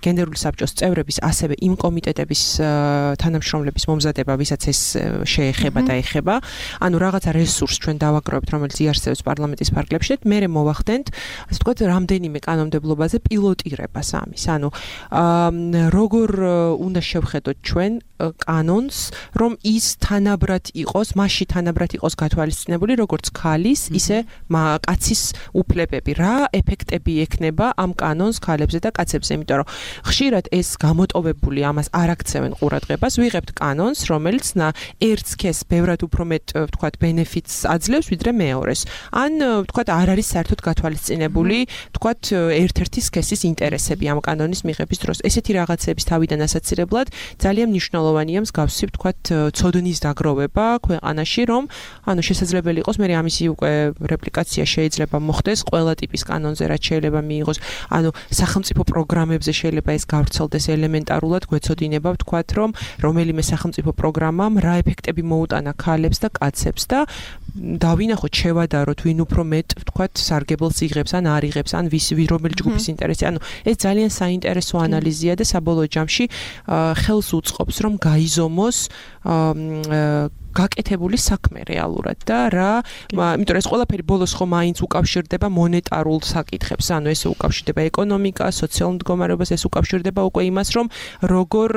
გენდერული საბჭოს წევრების, ასევე იმ კომიტეტების თანამშრომლების მომზადება, ვისაც ეს შეეხება და ეხება. ანუ რაღაცა რესურსს ჩვენ დავაგროვებთ, რომელიც იარსებებს პარლამენტის ფარგლებში, მე მოვახდენთ, ასე ვთქვათ, რამდენიმე კანონმდებლობაზე პილოტირებას ამის. ანუ როგორ უნდა შევხედოთ ჩვენ კანონს, რომ ის თანაბრად იყოს, მასში თანაბრად იყოს გათვალისწინებული, როგორც ქალის, ისე კაცის უფლებები. რა ეფექტები ექნება ამ კანონს ქალებზე და კაცებზე, იმიტომ რომ ხშირად ეს გამოტოვებული ამას არ აქცევენ ყურადღებას, ვიღებთ კანონს, რომელიც ერთ სქესს ბევრად უფრო მეტ, ვთქვათ, ბენეფიტს აძლევს, ვიდრე მეორეს. ან, ვთქვათ, არ არის საერთოდ გათვალისწინებული, ვთქვათ, ერთ-ერთი სქესის ინტერესები ამ კანონის მიღების დროს. ესეთი რაღაცების თავიდან ასაცილებლად ძალიან მნიშვნელოვანია მსგავსი, ვთქვათ, ცოდნის დაგროვება ქვეყანაში, რომ, ანუ შესაძლებელი იყოს, მე ამისი უკვე რეპლიკაცია შეიძლება მოხდეს ყველა ტიპის კანონზე, რაც შეიძლება მიიღოს, ანუ სახელმწიფო პროგრამებზე შეიძლება ეს გავრცელდეს ელემენტარულად, გვეცოდინება, ვთქვათ, რომ რომელიმე სახელმწიფო პროგრამამ რა ეფექტები მოუტანა ქალებს და კაცებს და დავინახოთ, შევადაროთ, ვინ უფრო მეტ, ვთქვათ, სარგებელს იღებს ან არ იღებს, ან ვის რომელი ჯგუფის ინტერესი. ანუ ეს ძალიან საინტერესო ანალიზია და საბოლოო ჯამში ხელს უწყობს, რომ გაიზომოს გაკეთებული საქმე რეალურად და რა, იმიტომ რომ ეს ყველაფერი ბოლოს ხო მაინც უკავშირდება მონეტარულ საკითხებს, ანუ ეს უკავშირდება ეკონომიკას, სოციალურ მდგომარეობას, ეს უკავშირდება უკვე იმას, რომ როგორ,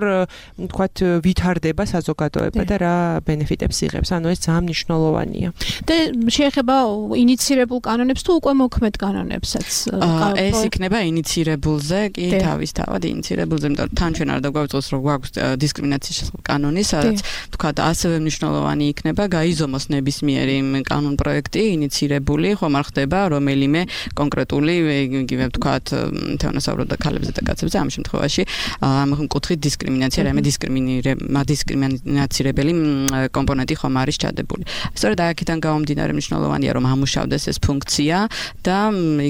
ვთქვათ, ვითარდება საზოგადოება და რა ბენეფიტებს იღებს, ანუ ეს ძალიან მნიშვნელოვანია. და შეეხება ინიცირებულ კანონებს თუ უკვე მოქმედ კანონებსაც? ეს იქნება ინიცირებულზე, კი თავისთავად ინიცირებულზე, იმიტომ რომ თან ჩვენ არ დაგვაუწყოს, რომ გვაქვს დისკრიმინაციის კანონი, სადაც ვთქვათ, ასევე მნიშვნელოვანი იქნება გაიზომოს ნებისმიერი კანონ პროექტი ინიცირებული, ხომ არ ხდება რომელიმე კონკრეტული, იგივე ვთქვათ, თეონასაუბრობ და ქალებზე და კაცებზე, ამ შემთხვევაში ამ კუთხით დისკრიმინაცია, რაიმე დისკრიმინაცირებელი კომპონენტი ხომ არის ჩადებული. სწორედ აქედან გამომდინარე მნიშვნელოვანია, რომ ამუშავდეს ეს ფუნქცია და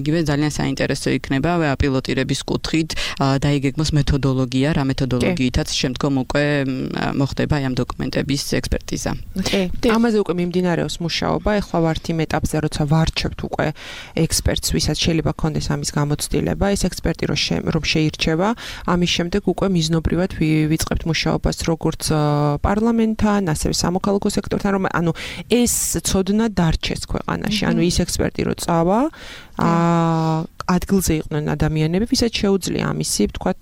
იგივე ძალიან საინტერესო იქნება პილოტირების კუთხით დაიგეგმოს მეთოდოლოგია, რა მეთოდოლოგიითაც შემდგომ უკვე მოხდება ამ დოკუმენტების ექსპერტიზა. ამაზე უკვე მიმდინარეობს მუშაობა, ეხლა ვართ იმ ეტაპზე, როცა ვარჩევთ უკვე ექსპერტს, ვისაც შეიძლება ქონდეს ამის გამოცდილება, ეს ექსპერტი რომ შეირჩევა, ამის შემდეგ უკვე მიზნობრივად ვიწყებთ მუშაობას როგორც პარლამენტთან, ასევე სამოქალაქო სექტორთან, რომ ანუ ეს ცოდნა დარჩეს ქვეყანაში, ანუ ის ექსპერტი რო წავა, ადგილზე იყვნენ ადამიანები, ვისაც შეუძლია ამისი, ვთქვათ,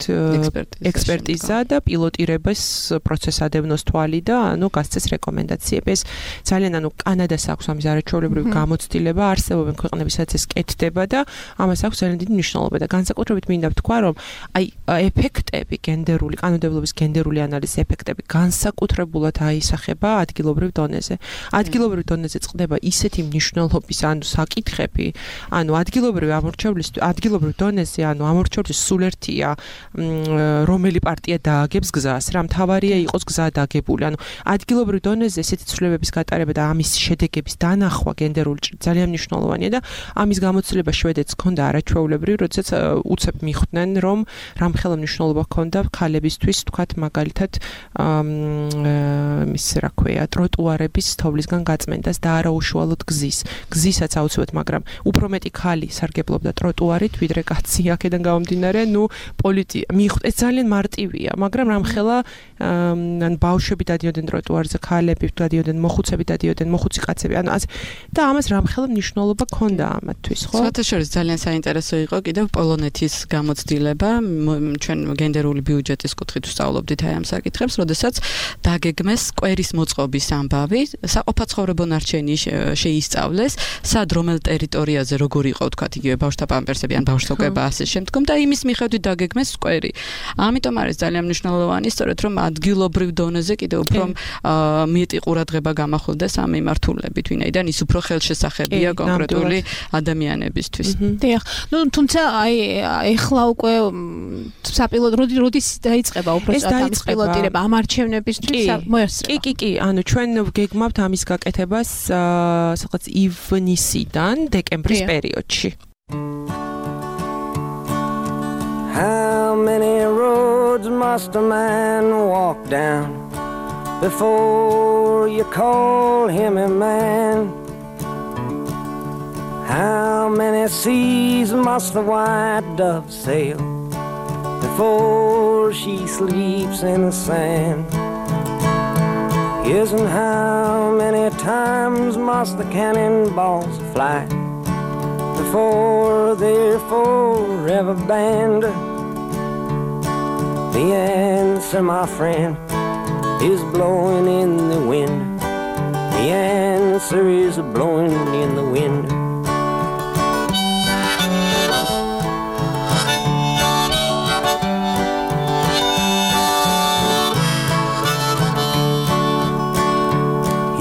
ექსპერტიზა და პილოტირების პროცესს ადევნოს თვალი და ანუ გასცეს რეკომენდაციები. ეს ძალიან ანუ კანადას აქვს ამის არაჩვეულებრივი გამოცდილება, არსებობენ ქვეყნები, სადაც ეს კეთდება და ამას აქვს ძალიან დიდი მნიშვნელობა და განსაკუთრებით მინდა ვთქვა, რომ აი ეფექტები გენდერული, კანონმდებლობის გენდერული ანალიზის ეფექტები განსაკუთრებულად აისახება ადგილობრივ დონეზე. ადგილობრივ დონეზე წყდება ისეთი მნიშვნელობის ანუ საკითხები, ანუ ადგილობრივი ამორჩევლის ადგილობრივ დონეზე, ანუ ამორჩევლის სულ ერთია, რომელი პარტია დააგებს გზას, რა მთავარია იყოს გზა დაგებული. ანუ ადგილობრივ დონეზე ესეთი ცვლილებების გატარება და ამის შედეგების დანახვა გენდერული ძალიან მნიშვნელოვანია და ამის გამოცდილება შვედეთს ჰქონდა არაჩვეულებრივი, როდესაც უცებ მიხვდნენ, რომ რამხელა მნიშვნელობა ჰქონდა ქალებისთვის, თქვათ, მაგალითად, ის რა ქვია, ტროტუარების თოვლისგან გაწმენდას და არა უშუალოდ გზის. გზისაც აუცილებლად, მაგრამ უფრო მეტი ქალი სარგებლობდა ტროტუარით, ვიდრე კაცი აქედან გამომდინარე, ნუ პოლიტიკა მიხვდ, ეს ძალიან მარტივია, მაგრამ რამხელა ან ბავშვები დადიოდნენ ტროტუარზე, ქალები დადიოდნენ, მოხუცები დადიოდნენ, მოხუცი კაცები, ანუ ასე და ამას რამხელა მნიშვნელობა ჰქონდა ამათთვის, ხო? საერთაშორისო ძალიან საინტერესო იყო კიდევ პოლონეთის გამოცდილება, ჩვენ გენდერული ბიუჯეტის კუთხით ვსწავლობდით აი ამ საკითხებს, როდესაც დაგეგმეს კვერის მოწყობის ამბავი, საყოფაცხოვრებო ნარჩენი შეისწავლეს, სად რომელ ტერიტორიაზე როგორ იყო, თქვათ, იგივე ბავშვთა პამპერსები ინტერესები ან ბავშვთოკება ასე შემდგომ და იმის მიხედვით დაგეგმეს სკვერი. ამიტომ არის ძალიან მნიშვნელოვანი სწორედ რომ ადგილობრივ დონეზე კიდევ უფრო მეტი ყურადღება გამახვილდეს ამ მიმართულებით, ვინაიდან ის უფრო ხელშესახებია კონკრეტული ადამიანებისთვის. დიახ. ნუ თუმცა აი ეხლა უკვე საპილოტო როდის დაიწყება უბრალოდ ამის პილოტირება ამ არჩევნებისთვის მოესწრება. კი, კი, კი, ანუ ჩვენ გეგმავთ ამის გაკეთებას სადღაც ივნისიდან დეკემბრის პერიოდში. How many roads must a man walk down before you call him a man? How many seas must the white dove sail before she sleeps in the sand? Yes, and how many times must the cannonballs fly before they're forever banned? The answer, my friend, is blowing in the wind. The answer is blowing in the wind.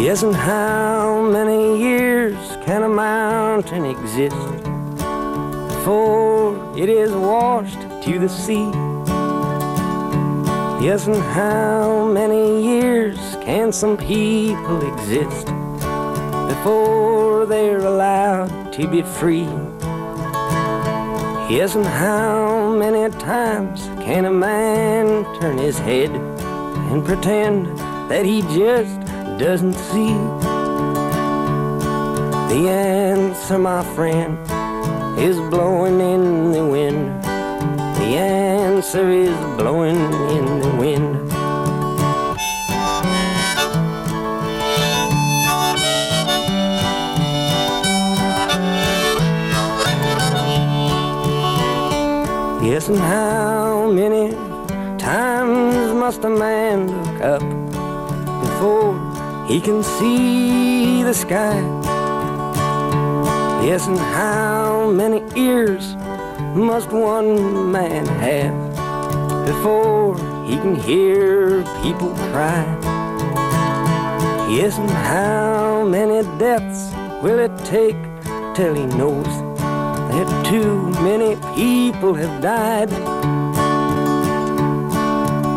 Yes, and how many years can a mountain exist before it is washed to the sea? Yes, and how many years can some people exist before they're allowed to be free? Yes, and how many times can a man turn his head and pretend that he just doesn't see? The answer, my friend, is blowing in the wind. The answer is blowing in the wind. Yes, and how many times must a man look up before he can see the sky? Yes, and how many ears must one man have before he can hear people cry? Yes, and how many deaths will it take till he knows that too many people have died?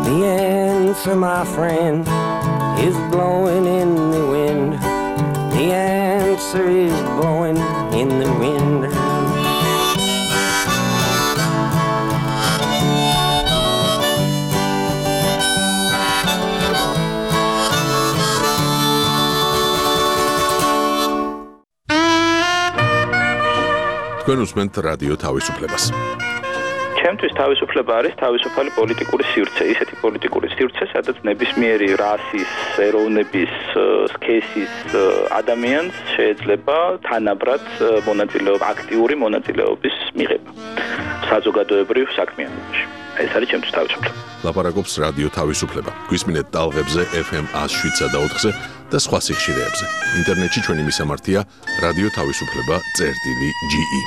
The answer, my friend, is blowing in the wind. The answer is blowing in the wind. თქვენ უსმენთ რადიო თავისუფლებას. ჩემთვის თავისუფლება არის თავისუფალი პოლიტიკური სივრცე, ისეთი პოლიტიკური სივრცე, სადაც ნებისმიერი რასის, ეროვნების, სქესის ადამიანს შეიძლება თანაბრად მონაწილეობა, აქტიური მონაწილეობის მიღება საზოგადოებრივ საქმიანობაში. ეს არის ჩემთვის თავისუფლება. ლაპარაკობს რადიო თავისუფლება. გვისმინეთ ტალღებზე ეფ ემ one oh seven და ოთხზე და სხვა სიხშირეებზე. ინტერნეტში ჩვენი მისამართია რადიო თავისუფლება წერტილი ჯი ი.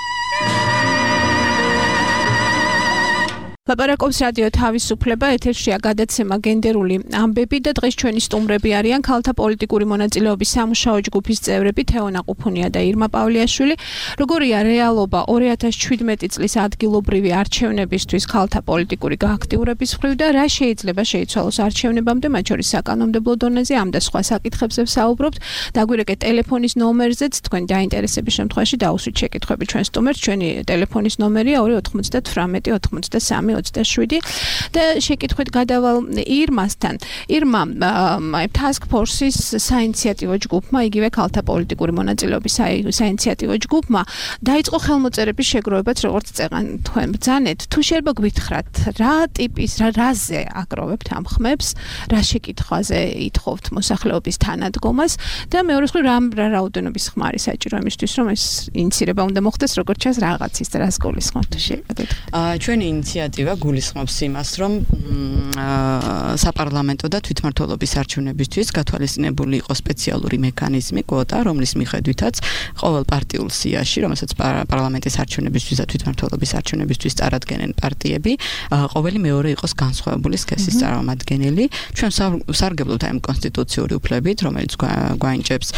ლაპარაკობს რადიო თავისუფლება, ეთერშია გადაცემა გენდერული ამბები და დღეს ჩვენი სტუმრები არიან ქალთა პოლიტიკური მონაწილეობის სამუშაო ჯგუფის წევრები თეონა ყუფუნია და ირმა პავლიაშვილი. როგორია რეალობა ორი ათას შვიდმეტი წლის ადგილობრივი არჩევნებისთვის ქალთა პოლიტიკური გააქტიურების მხრივ და რა შეიძლება შეიცვალოს არჩევნებამდე, მათ შორის საკანონმდებლო დონეზე, ამ და სხვა საკითხებზე ვსაუბრობთ. დაგვირეკეთ ტელეფონის ნომერზეც, თქვენ დაინტერესების შემთხვევაში დაუსვით შეკითხვები ჩვენ სტუმერს. ჩვენი ტელეფონის ნომერია ორი ოთხმოცდათვრამეტი ოცდაოთხმოცდასამი ოცდაშვიდი და შეკითხვით გადავალ ირმასთან. ირმა, task force-ის საინიციატივო ჯგუფმა, იგივე ქალთა პოლიტიკური მონაწილეობის საინიციატივო ჯგუფმა დაიწყო ხელმოწერების შეგროვებაც, როგორც წეღან თქვენ ბრძანეთ. თუ შეიძლება გვითხრათ, რა ტიპის, რა რაზე აკროვებთ ამ ხმებს, რა შეკითხვაზე ითხოვთ მოსახლეობის თანადგომას და მეორე მხრივ რა რაოდენობის ხმა არის საჭირო იმისთვის, რომ ეს ინიცირება უნდა მოხდეს, როგორც ჩანს, რაღაცის და რას გულისხმობთ, თუ შეიძლება გითხრათ. აა ჩვენი ინიციატივა დადება გულისხმობს იმას, რომ საპარლამენტო და თვითმმართველობის არჩევნებისთვის გათვალისწინებული იყო სპეციალური მექანიზმი, კვოტა, რომლის მიხედვითაც ყოველ პარტიულ სიაში, რომელსაც პარლამენტის არჩევნებისთვის და თვითმმართველობის არჩევნებისთვის წარადგენენ პარტიები, ყოველი მეორე იყოს განსხვავებული სქესის წარმომადგენელი. ჩვენ სარგებლობთ ამ კონსტიტუციური უფლებით, რომელიც გვაინჭებს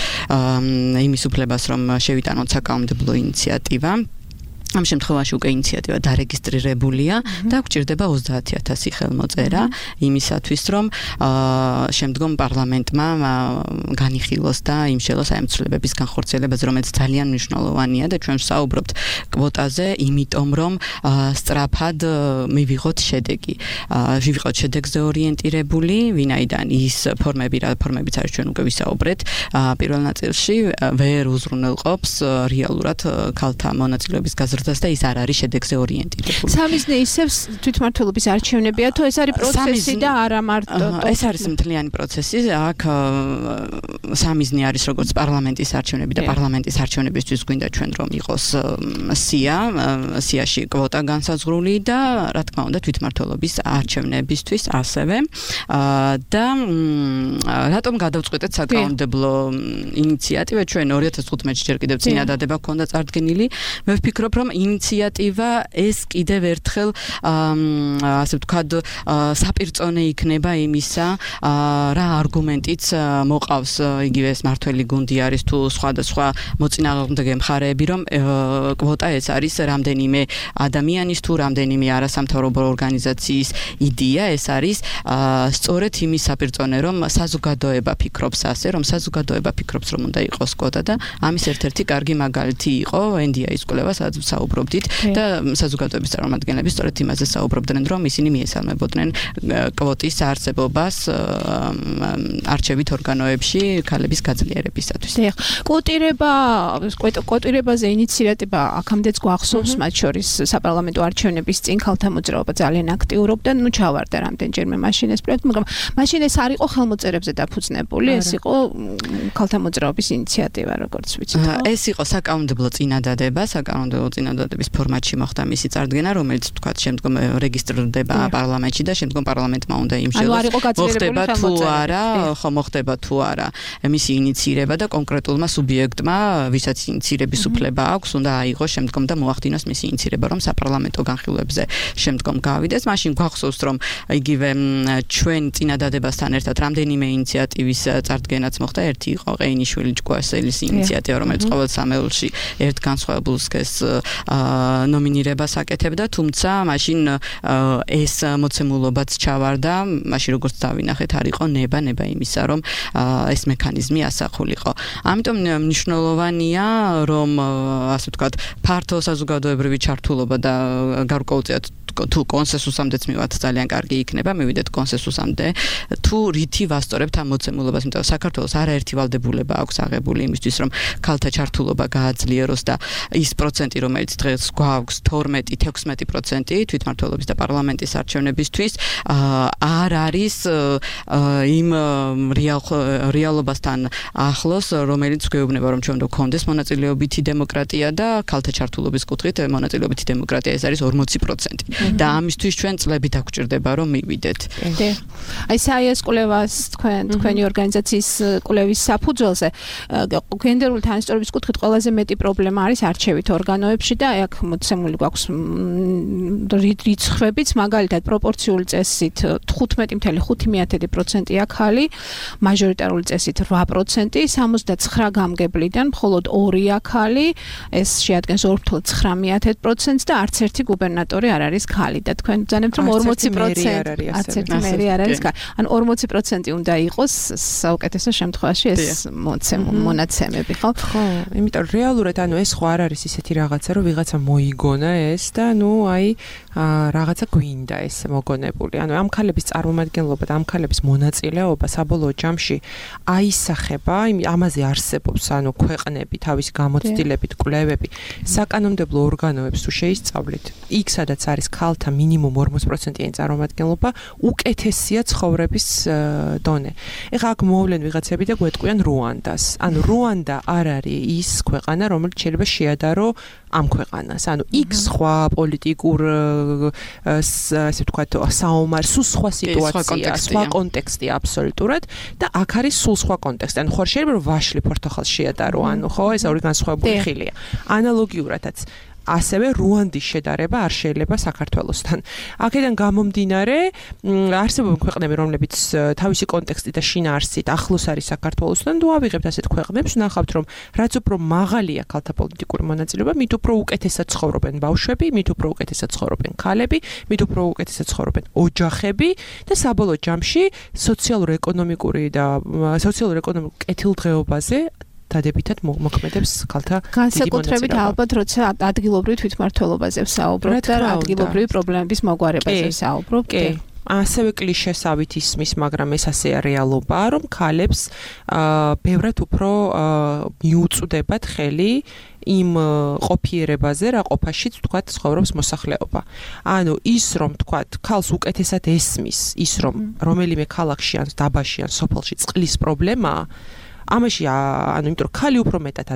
იმის უფლებას, რომ შევიტანოთ საკანონმდებლო ინიციატივა. ამ შემთხვევაში უკვე ინიციატივა დარეგისტრირებულია და გვჭირდება ოცდაათი ათასი ხელმოწერა იმისათვის, რომ შემდგომ პარლამენტმა განიხილოს და იმშელოს აი ამ ცვლილებების განხორციელებაზე, რომელიც ძალიან მნიშვნელოვანია და ჩვენ ვსაუბრობთ კვოტაზე, იმიტომ რომ სწრაფად მივიღოთ შედეგი. ვივიღოთ შედეგზე ორიენტირებული, ვინაიდან ის ფორმები, რა ფორმებიც არის ჩვენ უკვე ვისაუბრეთ, პირველ ნაწილში ვერ უზრუნველყოფს რეალურად ქალთა მონაწილეობის გაზრდას და ის არ არის შედეგზე ორიენტირებული. სამიზნე ისევ თვითმმართველობის არჩევნებია, თუ ეს არის პროცესი და არა მარტო ეს არის მთლიანი პროცესი. აქ სამიზნე არის როგორც პარლამენტის არჩევნები და პარლამენტის არჩევნებისთვის გვინდა ჩვენ რომ იყოს სია, სიაში კვოტა განსაზღვრული და რა თქმა უნდა თვითმმართველობის არჩევნებისთვის ასევე. და რატომ გადავწყვეტეთ საკანონმდებლო ინიციატივა? ჩვენ ორი ათას თხუთმეტში ჯერ კიდევ წინადადება ჰქონდა წარდგენილი. მე ვფიქრობ, რომ ინიციატივა ეს კიდევ ერთხელ ასე ვთქვათ საპირწონე იქნება იმისა, რა არგუმენტიც მოყავს იგივე ეს მართველი გუნდი არის თუ სხვადასხვა მოწინააღმდეგე მხარეები, რომ კვოტა ეს არის რამდენიმე ადამიანის თუ რამდენიმე არასამთავრობო ორგანიზაციის იდეა, ეს არის სწორედ იმის საპირწონე, რომ საზოგადოება ფიქრობს ასე, რომ საზოგადოება ფიქრობს, რომ უნდა იყოს კვოტა და ამის ერთ-ერთი კარგი მაგალითი იყო ენ დი აის კვლევა, სადაც საუბრობდით და საზოგადოების წარმომადგენლები სწორედ იმაზე საუბრობდნენ, რომ ისინი მიესალმებოდნენ კვოტის არსებობას არჩევით ორგანოებში ქალების გაძლიერებისათვის. დიახ, კვოტირება, კვოტირებაზე ინიციატივა აქამდეც გვახსოვს, მათ შორის საპარლამენტო არჩევნების წინ ქალთა მოძრაობა ძალიან აქტიურობდა, ნუ ჩავარდა რამდენჯერმე მაშინ ეს პროექტი, მაგრამ მაშინ ეს არ იყო ხელმოწერებზე დაფუძნებული, ეს იყო ქალთა მოძრაობის ინიციატივა, როგორც ვიცით. ეს იყო საკანონმდებლო წინადადება, საკანონმდებლო წინადადების ფორმატში მოხდა მისი წარდგენა, რომელიც თქვათ შემდგომ რეგისტრირდება პარლამენტში და შემდგომ პარლამენტმა უნდა იმშელოს მოხდება თუ არა, ხო მოხდება თუ არა მისი ინიცირება და კონკრეტულმა სუბიექტმა, ვისაც ინიცირების უფლება აქვს, უნდა აიღოს შემდგომ და მოახდინოს მისი ინიცირება, რომ საპარლამენტო განხილვებზე შემდგომ გავიდეს. მაშინ გვახსოვს, რომ იგივე ჩვენ წინადადებასთან ერთად რამდენიმე ინიციატივის წარდგენაც მოხდა. ერთი იყო ყეინიშვილი ჭკუასელის ინიციატივა, რომელიც ყოველ სამეულში ერთ განსხვავებულ სქესს ნომინირებას აკეთებდა, თუმცა მაშინ ეს მოცემულობაც ჩავარდა, მაშინ როგორც დავინახეთ, არ იყო ნება ნება იმისა, რომ ეს მექანიზმი ასახულიყო. ამიტომ მნიშვნელოვანია, რომ ასე ვთქვათ, ფართო საზოგადოებრივი ჩართულობა და გარკვეულწილად თუ კონსენსუსამდეც მივად ძალიან კარგი იქნება, მივიდეთ კონსენსუსამდე, თუ რითი ვასწორებთ ამ მოცემულობას, იმიტომ რომ საქართველოს არაერთი ვალდებულება აქვს აღებული იმისთვის, რომ ქალთა ჩართულობა გააძლიეროს და ის პროცენტი, რომელიც დღეს გვაქვს თორმეტი თექვსმეტი პროცენტი თვითმმართველობის და პარლამენტის არჩევნებისთვის, არ არის იმ რეალობასთან ახლოს, რომელიც გვეუბნება, რომ ჩვენ უნდა გქონდეს მონაწილეობითი დემოკრატია და ქალთა ჩართულობის კუთხით მონაწილეობითი დემოკრატია ეს არის ორმოცი პროცენტი. და ამისთვის ჩვენ წლები დაგვჭირდება, რომ მივიდეთ. აი საიას კვლევას თქვენ თქვენი ორგანიზაციის კვლევის საფუძველზე გენდერული თანასწორობის კუთხით ყველაზე მეტი პრობლემა არის არჩევით ორგანოებში და აქ მოცემული გვაქვს რიცხვებიც, მაგალითად პროპორციული წესით თხუთმეტი კoma ხუთი პროცენტია ქალი, მაჟორიტარული წესით რვა პროცენტი, სამოცდაცხრა გამგებლიდან მხოლოდ ორია ქალი, ეს შეადგენს ორ კoma ცხრა პროცენტს და არც ერთი გუბერნატორი არ არის ქალი და თქვენ ბრძანებთ რომ ორმოცი პროცენტი არც ერთი მერი არ არის ქალი. ან ორმოცი პროცენტი უნდა იყოს საუკეთესო შემთხვევაში ეს მონაცემები, ხო? ხო, იმიტომ რეალურად ანუ ეს ხო არ არის ისეთი რაღაცა, რომ ვიღაცა მოიგონა ეს და ნუ აი რაღაცა გვინდა ეს მოგონებული. ანუ ამ ქალების წარმომადგენლობა და ამ ქალების მონაწილეობა საბოლოო ჯამში აისახება, ამაზე არსებობს ანუ ქვეყნები, თავის გამოცდილებით, კვლევები, საკანონმდებლო ორგანოებს თუ შეისწავლით, იქ სადაც არის ქალთა მინიმუმ ორმოცი პროცენტიანი წარმომადგენლობა, უკეთესია ცხოვრების დონე. ეხლა აქ მოვლენ ვიღაცები და გვეტყვიან რუანდას. ანუ რუანდა არ არის ის ქვეყანა, რომელიც შეიძლება შეადარო ამ ქვეყანას. ანუ იქ სხვა პოლიტიკურ ასე ვთქვათ, საომარ, სულ სხვა სიტუაცია, სხვა კონტექსტი აბსოლუტურად და აქ არის სულ სხვა კონტექსტი. ანუ ხო შეიძლება რომ ვაშლი ფორთოხალს შეადარო, ანუ ხო ეს ორი განსხვავებული ხილია. ანალოგიურადაც ასევე რუანდის შედარება არ შეიძლება საქართველოსთან. აქედან გამომდინარე, არსებობენ ქვეყნები, რომლებიც თავისი კონტექსტით და შინაარსით ახლოს არის საქართველოსთან, თუ ავიღებთ ასეთ ქვეყნებს, ნახავთ, რომ რაც უფრო მაღალია ქალთა პოლიტიკური მონაწილეობა, მით უფრო უკეთესად ცხოვრობენ ბავშვები, მით უფრო უკეთესად ცხოვრობენ ქალები, მით უფრო უკეთესად ცხოვრობენ ოჯახები და საბოლოო ჯამში სოციალურ-ეკონომიკური და სოციალურ-ეკონომიკურ კეთილდღეობაზე დადებითად მოქმედებს ქალთა განსაკუთრებით ალბათ როცა ადგილობრივ თვითმმართველობაზე ვსაუბრობთ და ადგილობრივი პრობლემების მოგვარებაზე ვსაუბრობთ. კი, ასევე კლიშესავით ისმის, მაგრამ ეს ასეა რეალობაა, რომ ქალებს ბევრად უფრო მიუწვდებათ ხელი იმ ყოფიერებაზე, რა ყოფაშიც ვთქვათ ცხოვრობს მოსახლეობა. ანუ ის რომ ვთქვათ, ქალს უკეთესად ესმის, ის რომ რომელიმე ქალაქში ან დაბაში ან სოფელში წყლის პრობლემაა, ამაში ანუ იმიტომ რომ ქალი უფრო მეტად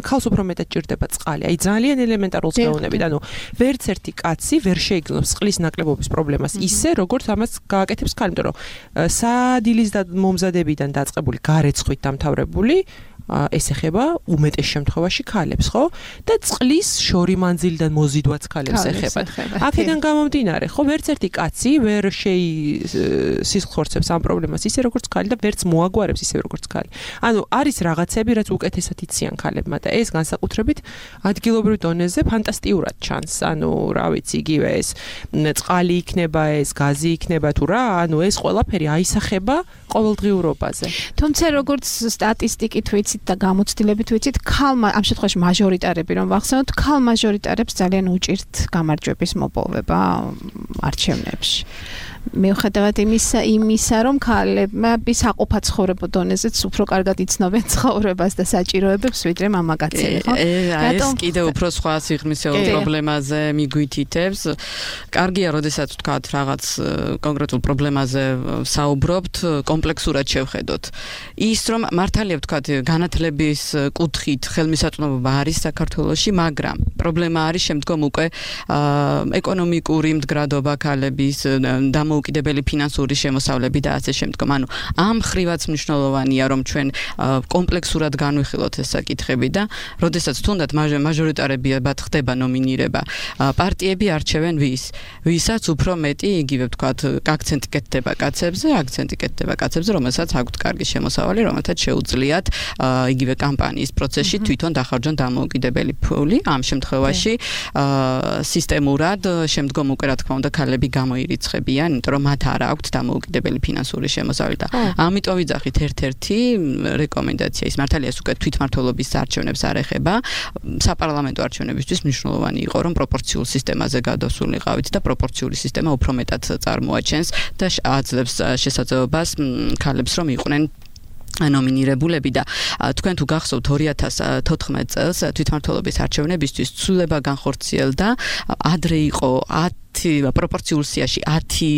ქალს უფრო მეტად ჭირდება წყალი. აი ძალიან ელემენტარულს მეუბნებით. ანუ ვერც ერთი კაცი ვერ შეიგნობს წყლის ნაკლებობის პრობლემას ისე, როგორც ამას გააკეთებს ქალი, იმიტომ რომ სადილის და მომზადებიდან დაწყებული გარეცხვით დამთავრებული ეს ეხება უმეტეს შემთხვევაში ქალებს, ხო? და წყლის შორი მანძილიდან მოზიდვაც ქალებს ეხება. აქედან გამომდინარე, ხო, ვერც ერთი კაცი ვერ შეისხორცებს ამ პრობლემას ისე როგორც ქალი და ვერც მოაგვარებს ისე როგორც ქალი. ანუ არის რაღაცები, რაც უკეთესად იციან ქალებმა და ეს განსაკუთრებით ადგილობრივ დონეზე ფანტასტიურად ჩანს. ანუ რა ვიცი, იგივე ეს წყალი იქნება, ეს გაზი იქნება თუ რა, ანუ ეს ყველაფერი აისახება ყოველდღიურობაზე. თუმცა როგორც სტატისტიკით ვიცით და გამოცდილებით ვიცით, ქალ ამ შემთხვევაში მაჟორიტარები რომ ვახსენოთ, ქალ მაჟორიტარებს ძალიან უჭირთ გამარჯვების მოპოვება არჩევნებში. მიუხედავად იმისა, იმისა, რომ ქალები საყოფა ცხოვრებო დონეზეც უფრო კარგად იცნობენ ცხოვრებას და საჭიროებებს, ვიდრე მამაკაცები, ხო? ეს კიდევ უფრო სხვა სიღრმისეულ პრობლემაზე მიგვითითებს. კარგია, როდესაც ვთქვათ, რაღაც კონკრეტულ პრობლემაზე საუბრობთ, კომპლექსურად შევხედოთ. ის რომ მართალია ვთქვათ, განათლების კუთხით ხელმისაწვდომობა არის საქართველოში, მაგრამ პრობლემა არის შემდგომ უკვე ეკონომიკური მდგრადობა ქალების და მოუკიდებელი ფინანსური შემოსავლები და ასე შემდგომ. ანუ ამ ხრივაც მნიშვნელოვანია, რომ ჩვენ კომპლექსურად განვიხილოთ ეს საკითხები და როდესაც თუნდაც მაჟორიტარებად ხდება ნომინირება, პარტიები არჩევენ ვის? ვისაც უფრო მეტი, იგივე ვთქვათ, აქცენტი კეთდება კაცებზე, აქცენტი კეთდება კაცებზე, რომელსაც აქვთ კარგი შემოსავალი, რომელთაც შეუძლიათ იგივე კამპანიის პროცესში თვითონ დახარჯონ დამოუკიდებელი ფული. ამ შემთხვევაში სისტემურად შემდგომ უკვე რა თქმა უნდა ქალები გამოირიცხებიან, იმიტომ რომ მათ არ აქვთ დამოუკიდებელი ფინანსური შემოსავალი და ამიტომ ვიძახით ერთ-ერთი რეკომენდაცია ის მართალია ეს უკვე თვითმმართველობის არჩევნებს არ ეხება. საპარლამენტო არჩევნებისთვის მნიშვნელოვანი იყო რომ პროპორციულ სისტემაზე გადასულიყავით და პროპორციული სისტემა უფრო მეტად წარმოაჩენს და აძლევს შესაძლებლობას ქალებს რომ იყვნენ ნომინირებულები და თქვენ თუ გახსოვთ ორი ათას თოთხმეტ წელს თვითმმართველობის არჩევნებისთვის ცვლილება განხორციელდა, ადრე იყო პროპორციულ სიაში ათი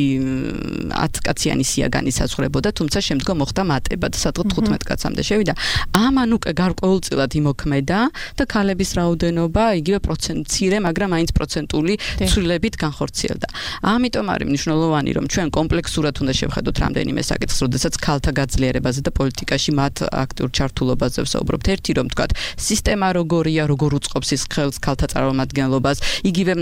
კაციანი სია განისაზღვრებოდა, თუმცა შემდგომ მოხდა მატება და სადღაც თხუთმეტ კაცამდე შევიდა. ამან უკვე გარკვეულწილად იმოქმედა და ქალების რაოდენობა იგივე პროცენტცირე, მაგრამ მაინც პროცენტული ცვლილებით განხორციელდა. ამიტომ არის მნიშვნელოვანი, რომ ჩვენ კომპლექსურად უნდა შევხედოთ რამდენიმე საკითხს, როდესაც ქალთა გაძლიერებაზე და პოლიტიკაში მათ აქტიურ ჩართულობაზე ვსაუბრობთ. ერთი რომ ვთქვათ, სისტემა როგორია, როგორ უწყობს ის ხელს ქალთა წარმომადგენლობას, იგივე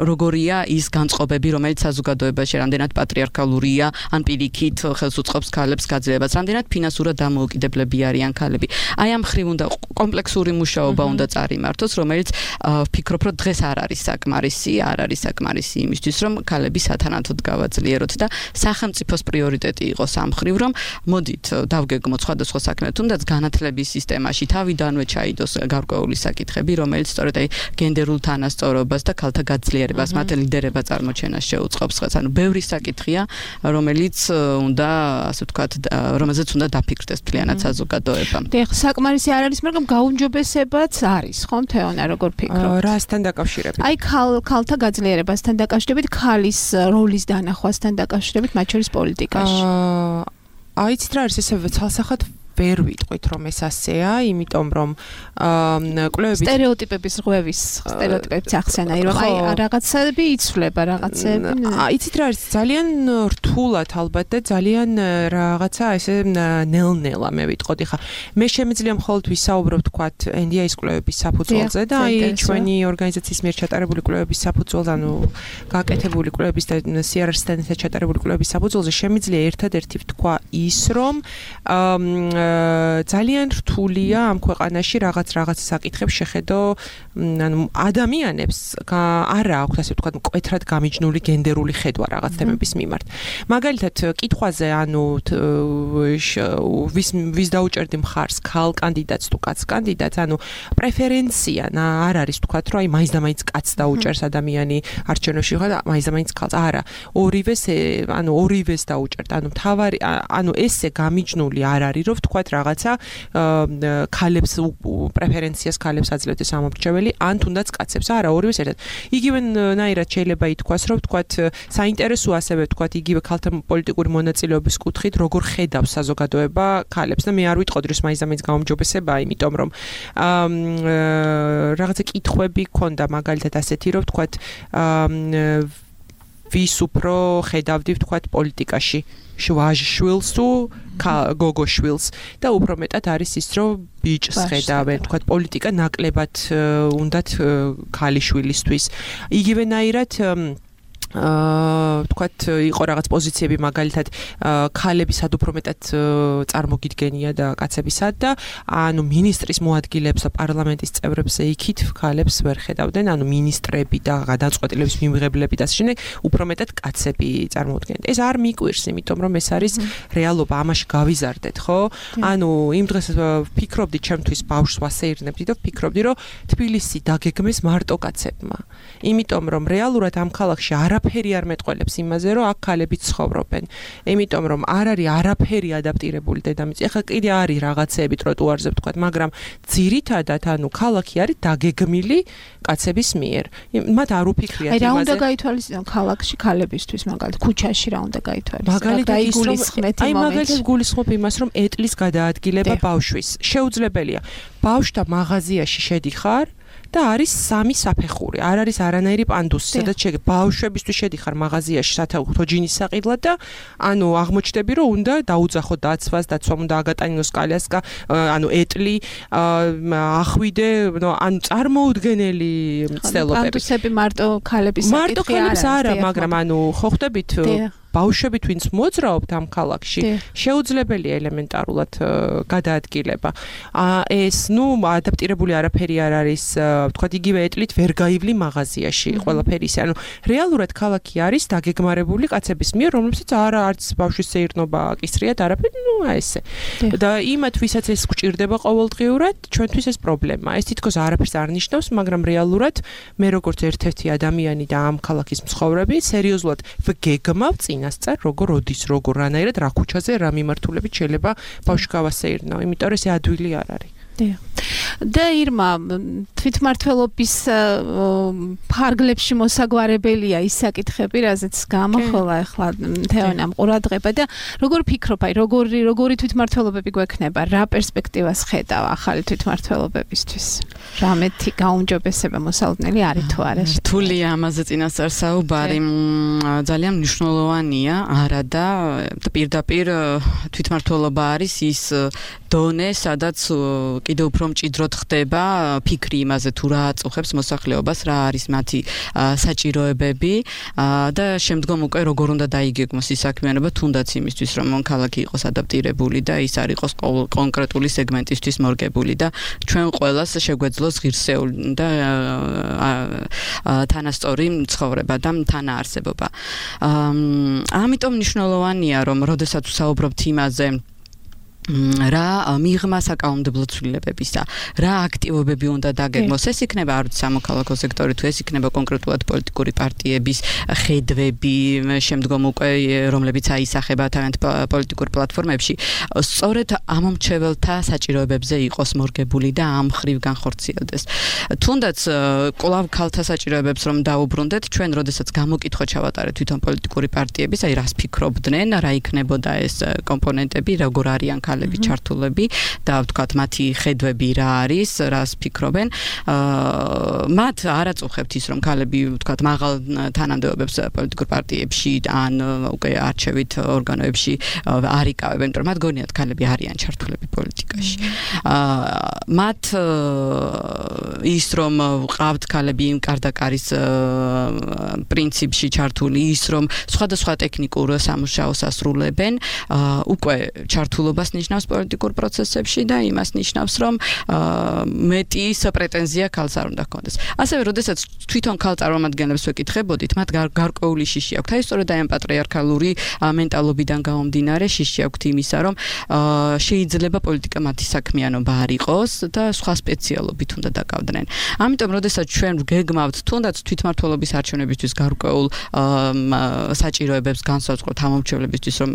როგორი ის განწყობები, რომელიც საზოგადოებაში რამდენად პატრიარქალურია, ან პირიქით ხელს უწყობს ქალებს გაძლიერებას, რამდენად ფინანსურად დამოუკიდებლები არიან ქალები. აი ამ ხრივ უნდა კომპლექსური მუშაობა უნდა წარიმართოს, რომელიც ვფიქრობ, რომ დღეს არ არის საკმარისი, არ არის საკმარისი იმისთვის, რომ ქალები სათანადოდ გავაძლიეროთ და სახელმწიფოს პრიორიტეტი იყოს ამ ხრივ, რომ მოდით დავგეგმოთ სხვადასხვა საქმე, თუნდაც განათლების სისტემაში თავიდანვე ჩაიდოს გარკვეული საკითხები, რომელიც სწორედ აი გენდერულ თანასწორობას და ქალთა გაძლიერებას მათ ლიდერება წარმოჩენას შეუწყობს ხეს. ანუ ბევრი საკითხია, რომელიც უნდა, ასე ვთქვათ, რომელზეც უნდა დაფიქრდეს მთლიანად საზოგადოება. დიახ, საკმარისი არ არის, მაგრამ გაუმჯობესებაც არის, ხო, თეონა, როგორ ფიქრობთ? რასთან დაკავშირებით? აი, ქალ ქალთა გაძლიერებასთან დაკავშირებით, ქალის როლის დანახვასთან დაკავშირებით, მათ შორის პოლიტიკაში. აიცით რა არის ესე ცალსახად ვერ ვიტყვით რომ ეს ასეა, იმიტომ რომ კვლევებით სტერეოტიპების ღვევის, სტერეოტიპების ახსენა, რომ აი რაღაცები იცვლება, რაღაცები. იცით რა არის, ძალიან რთულად ალბათ და ძალიან რაღაცა ესე ნელ-ნელა მე ვიტყოდი ხა. მე შემიძლია მხოლოდ ვისაუბრო თქვათ ენ დი ეის კვლევების საფუძველზე და აი ჩვენი ორგანიზაციის მიერ ჩატარებული კვლევების საფუძველზე, ანუ გაკეთებული კვლევების და სი არ ар-სთან ერთად ჩატარებული კვლევების საფუძველზე შემიძლია ერთადერთი ვთქვა ის, რომ ძალიან რთულია ამ ქვეყანაში რაღაც რაღაც საკითხებს შეხედო, ანუ ადამიანებს არა აქვს ასე ვთქვათ მკვეთრად გამიჯნული გენდერული ხედვა რაღაც თემების მიმართ. მაგალითად, კითხვაზე, ანუ ვის ვის დაუჭერდი მხარს, ქალ კანდიდატს თუ კაც კანდიდატს, ანუ პრეფერენცია არ არის ვთქვათ, რომ აი მაინც და მაინც კაც დაუჭერს ადამიანი არჩევნებში ხო და მაინც და მაინც ქალს. არა, ორივეს, ანუ ორივეს დაუჭერთ. ანუ თავარი, ანუ ესე გამიჯნული არ არის, რომ ვთქვათ რაღაცა ქალებს პრეფერენციას ქალებს აძლევთ ეს ამორჩეველი, ან თუნდაც კაცებს. არა, ორივეს ერთად. იგივენაირად შეიძლება ითქვას, რომ ვთქვათ საინტერესო ასევე ვთქვათ იგივე ქალთა პოლიტიკური მონაწილეობის კუთხით, როგორ ხედავს საზოგადოება ქალებს და მე არ ვიტყოდი, რომ მაინც და მაინც გაუმჯობესებაა, იმიტომ რომ რაღაცა კითხვები ქონდა მაგალითად ასეთი, რომ ვთქვათ ვის უფრო ხედავდი ვთქვათ პოლიტიკაში შვილს თუ გოგოშვილს და უფრო მეტად არის ის რომ ბიჭს ხედავენ ვთქვათ პოლიტიკა ნაკლებად უნდათ ქალიშვილისთვის იგივენაირად აა ვთქვათ იყო რაღაც პოზიციები მაგალითად ქალებისად უფრო მეტად წარმოგიდგენია და კაცებისად და ანუ მინისტრის მოადგილეებს და პარლამენტის წევრებზე იქით ქალებს ვერ ხედავდნენ ანუ მინისტრები და გადაწყვეტილების მიმღებლები და ასე შემდეგ უფრო მეტად კაცები წარმოუდგენთ ეს არ მიკვირს იმიტომ რომ ეს არის რეალობა ამაში გავიზარდეთ ხო ანუ იმ დღეს ვფიქრობდი ჩემთვის ბავშვს ვასეირნებდი და ვფიქრობდი რომ თბილისი დაგეგმეს მარტო კაცებმა იმიტომ რომ რეალურად ამ ქალაქში არა არაფერი არ მეტყველებს იმაზე, რომ აქ ქალები ცხოვრობენ. იმიტომ რომ არ არის არაფერი ადაპტირებული დედამიწა. ეხლა კიდე არის რაღაცეები ტროტუარზე ვთქვათ, მაგრამ ძირითადად ანუ ქალაქი არის დაგეგმილი კაცების მიერ. მათ არ უფიქრიათ იმაზე. აი რა უნდა გაითვალისწინონ ქალაქში ქალებისთვის, მაგალითად, ქუჩაში რა უნდა გაითვალისწინონ? მაგალითად იგულისხმეთ იმ მომენტში. აი მაგალითად გულისხმობ იმას, რომ ეტლის გადაადგილება ბავშვის შეუძლებელია. ბავშვთა მაღაზიაში შედიხარ და არის სამი საფეხური. არ არის არანაირი პანდუსი, სადაც შეგ ბავშვებისთვის შედიხარ მაღაზიაში სათაუხო ჯინის საყიდლად და ანუ აღმოჩნდები რომ უნდა დაუძახო დაცვას, დაცვამ უნდა აგატანინოს კალიასკა, ანუ ეტლი, ახვიდე, ანუ წარმოუდგენელი მცდელობები. პანდუსები მარტო ქალების საკითხი არა. მარტო ქალებს არა, მაგრამ ანუ ხო ხვდებით ბავშვებით ვინც მოძრაობთ ამ ქალაქში შეუძლებელია ელემენტარულად გადაადგილება. ეს ნუ ადაპტირებული არაფერი არ არის, ვთქვათ იგივე ეტლით ვერ გაივლი მაღაზიაში ყველაფერი ისე. ანუ რეალურად ქალაქი არის დაგეგმარებული კაცების მიერ, რომლებსაც არა არც ბავშვის სეირნობა აკისრიათ არაფერი, ნუ ესე. და იმათ ვისაც ეს გვჭირდება ყოველდღიურად, ჩვენთვის ეს პრობლემაა. ეს თითქოს არაფერს არ ნიშნავს, მაგრამ რეალურად მე როგორც ერთ-ერთი ადამიანი და ამ ქალაქის მცხოვრები, სერიოზულად ვგეგმავ წინ ასწარ როგორ ოდის როგორ რანაირად რა ქუჩაზე რა მიმართულებით შეიძლება ბავშვი გავასეირნო იმიტომ რომ ეს ადვილი არ არის და ირმა თვითმმართველობის ფარგლებში მოსაგვარებელია ის საკითხები, რაზეც გამოხოლა ახლა თეონამ ყურადღება და როგორ ფიქრობ, აი როგორი როგორი თვითმმართველობები გვექნება, რა პერსპექტივას ხედავ ახალი თვითმმართველობებისთვის? რამეთი გაუმჯობესება მოსალოდნელი არის თუ არა? რთულია ამაზე წინასწარ საუბარი, ძალიან მნიშვნელოვანია, არა და პირდაპირ თვითმმართველობა არის ის დონე, სადაც კიდევ უფრო მჭიდროდ ხდება ფიქრი იმაზე თუ რა აწუხებს მოსახლეობას, რა არის მათი საჭიროებები და შემდგომ უკვე როგორ უნდა დაიგეგმოს ის საქმიანობა თუნდაც იმისთვის რომ ქალაქი იყოს ადაპტირებული და ის არ იყოს კონკრეტული სეგმენტისთვის მორგებული და ჩვენ ყველას შეგვეძლოს ღირსეული და თანასწორი ცხოვრება და თანაარსებობა. ამიტომ მნიშვნელოვანია რომ როდესაც ვსაუბრობთ იმაზე რა მიღმა საკანონმდებლო ცვლილებებისა, რა აქტივობები უნდა დაგეგმოს. ეს იქნება არ ვიცი სამოქალაქო სექტორი თუ ეს იქნება კონკრეტულად პოლიტიკური პარტიების ხედვები, შემდგომ უკვე რომლებიც აისახება თავიანთ პოლიტიკურ პლატფორმებში, სწორედ ამომრჩეველთა საჭიროებებზე იყოს მორგებული და ამ ხრივ განხორციელდეს. თუნდაც კვლავ ქალთა საჭიროებებს რომ დაუბრუნდეთ, ჩვენ როდესაც გამოკითხვა ჩავატარეთ თვითონ პოლიტიკური პარტიების, აი რას ფიქრობდნენ, რა იქნებოდა ეს კომპონენტები, როგორ არიან ქალები ჩართულები და ვთქვათ მათი ხედვები რა არის, რას ფიქრობენ. მათ არ აწუხებთ ის რომ ქალები ვთქვათ მაღალ თანამდებობებს პოლიტიკურ პარტიებში ან უკვე არჩევით ორგანოებში არ იკავებენ, იმიტომ რომ მათ გონიათ ქალები არიან ჩართულები პოლიტიკაში. მათ ის რომ ვყავთ ქალები იმ კარდაკარის პრინციპში ჩართული, ის რომ სხვადასხვა ტექნიკურ სამუშაოს ასრულებენ, უკვე ჩართულობას ნიშნავს პოლიტიკურ პროცესებში და იმას ნიშნავს, რომ მეტი პრეტენზია ქალს არ უნდა ჰქონდეს. ასევე, როდესაც თვითონ ქალ წარმომადგენლებს ვეკითხებოდით, მათ გარკვეული შიში აქვთ. აი, სწორედ აი ამ პატრიარქალური მენტალობიდან გამომდინარე შიში აქვთ იმისა, რომ შეიძლება პოლიტიკა მათი საქმიანობა არ იყოს და სხვა სპეციალობით უნდა დაკავდნენ. ამიტომ, როდესაც ჩვენ გეგმავთ თუნდაც თვითმმართველობის არჩევნებისთვის გარკვეულ საჭიროებებს განსაზღვროთ ამომრჩევლებისთვის, რომ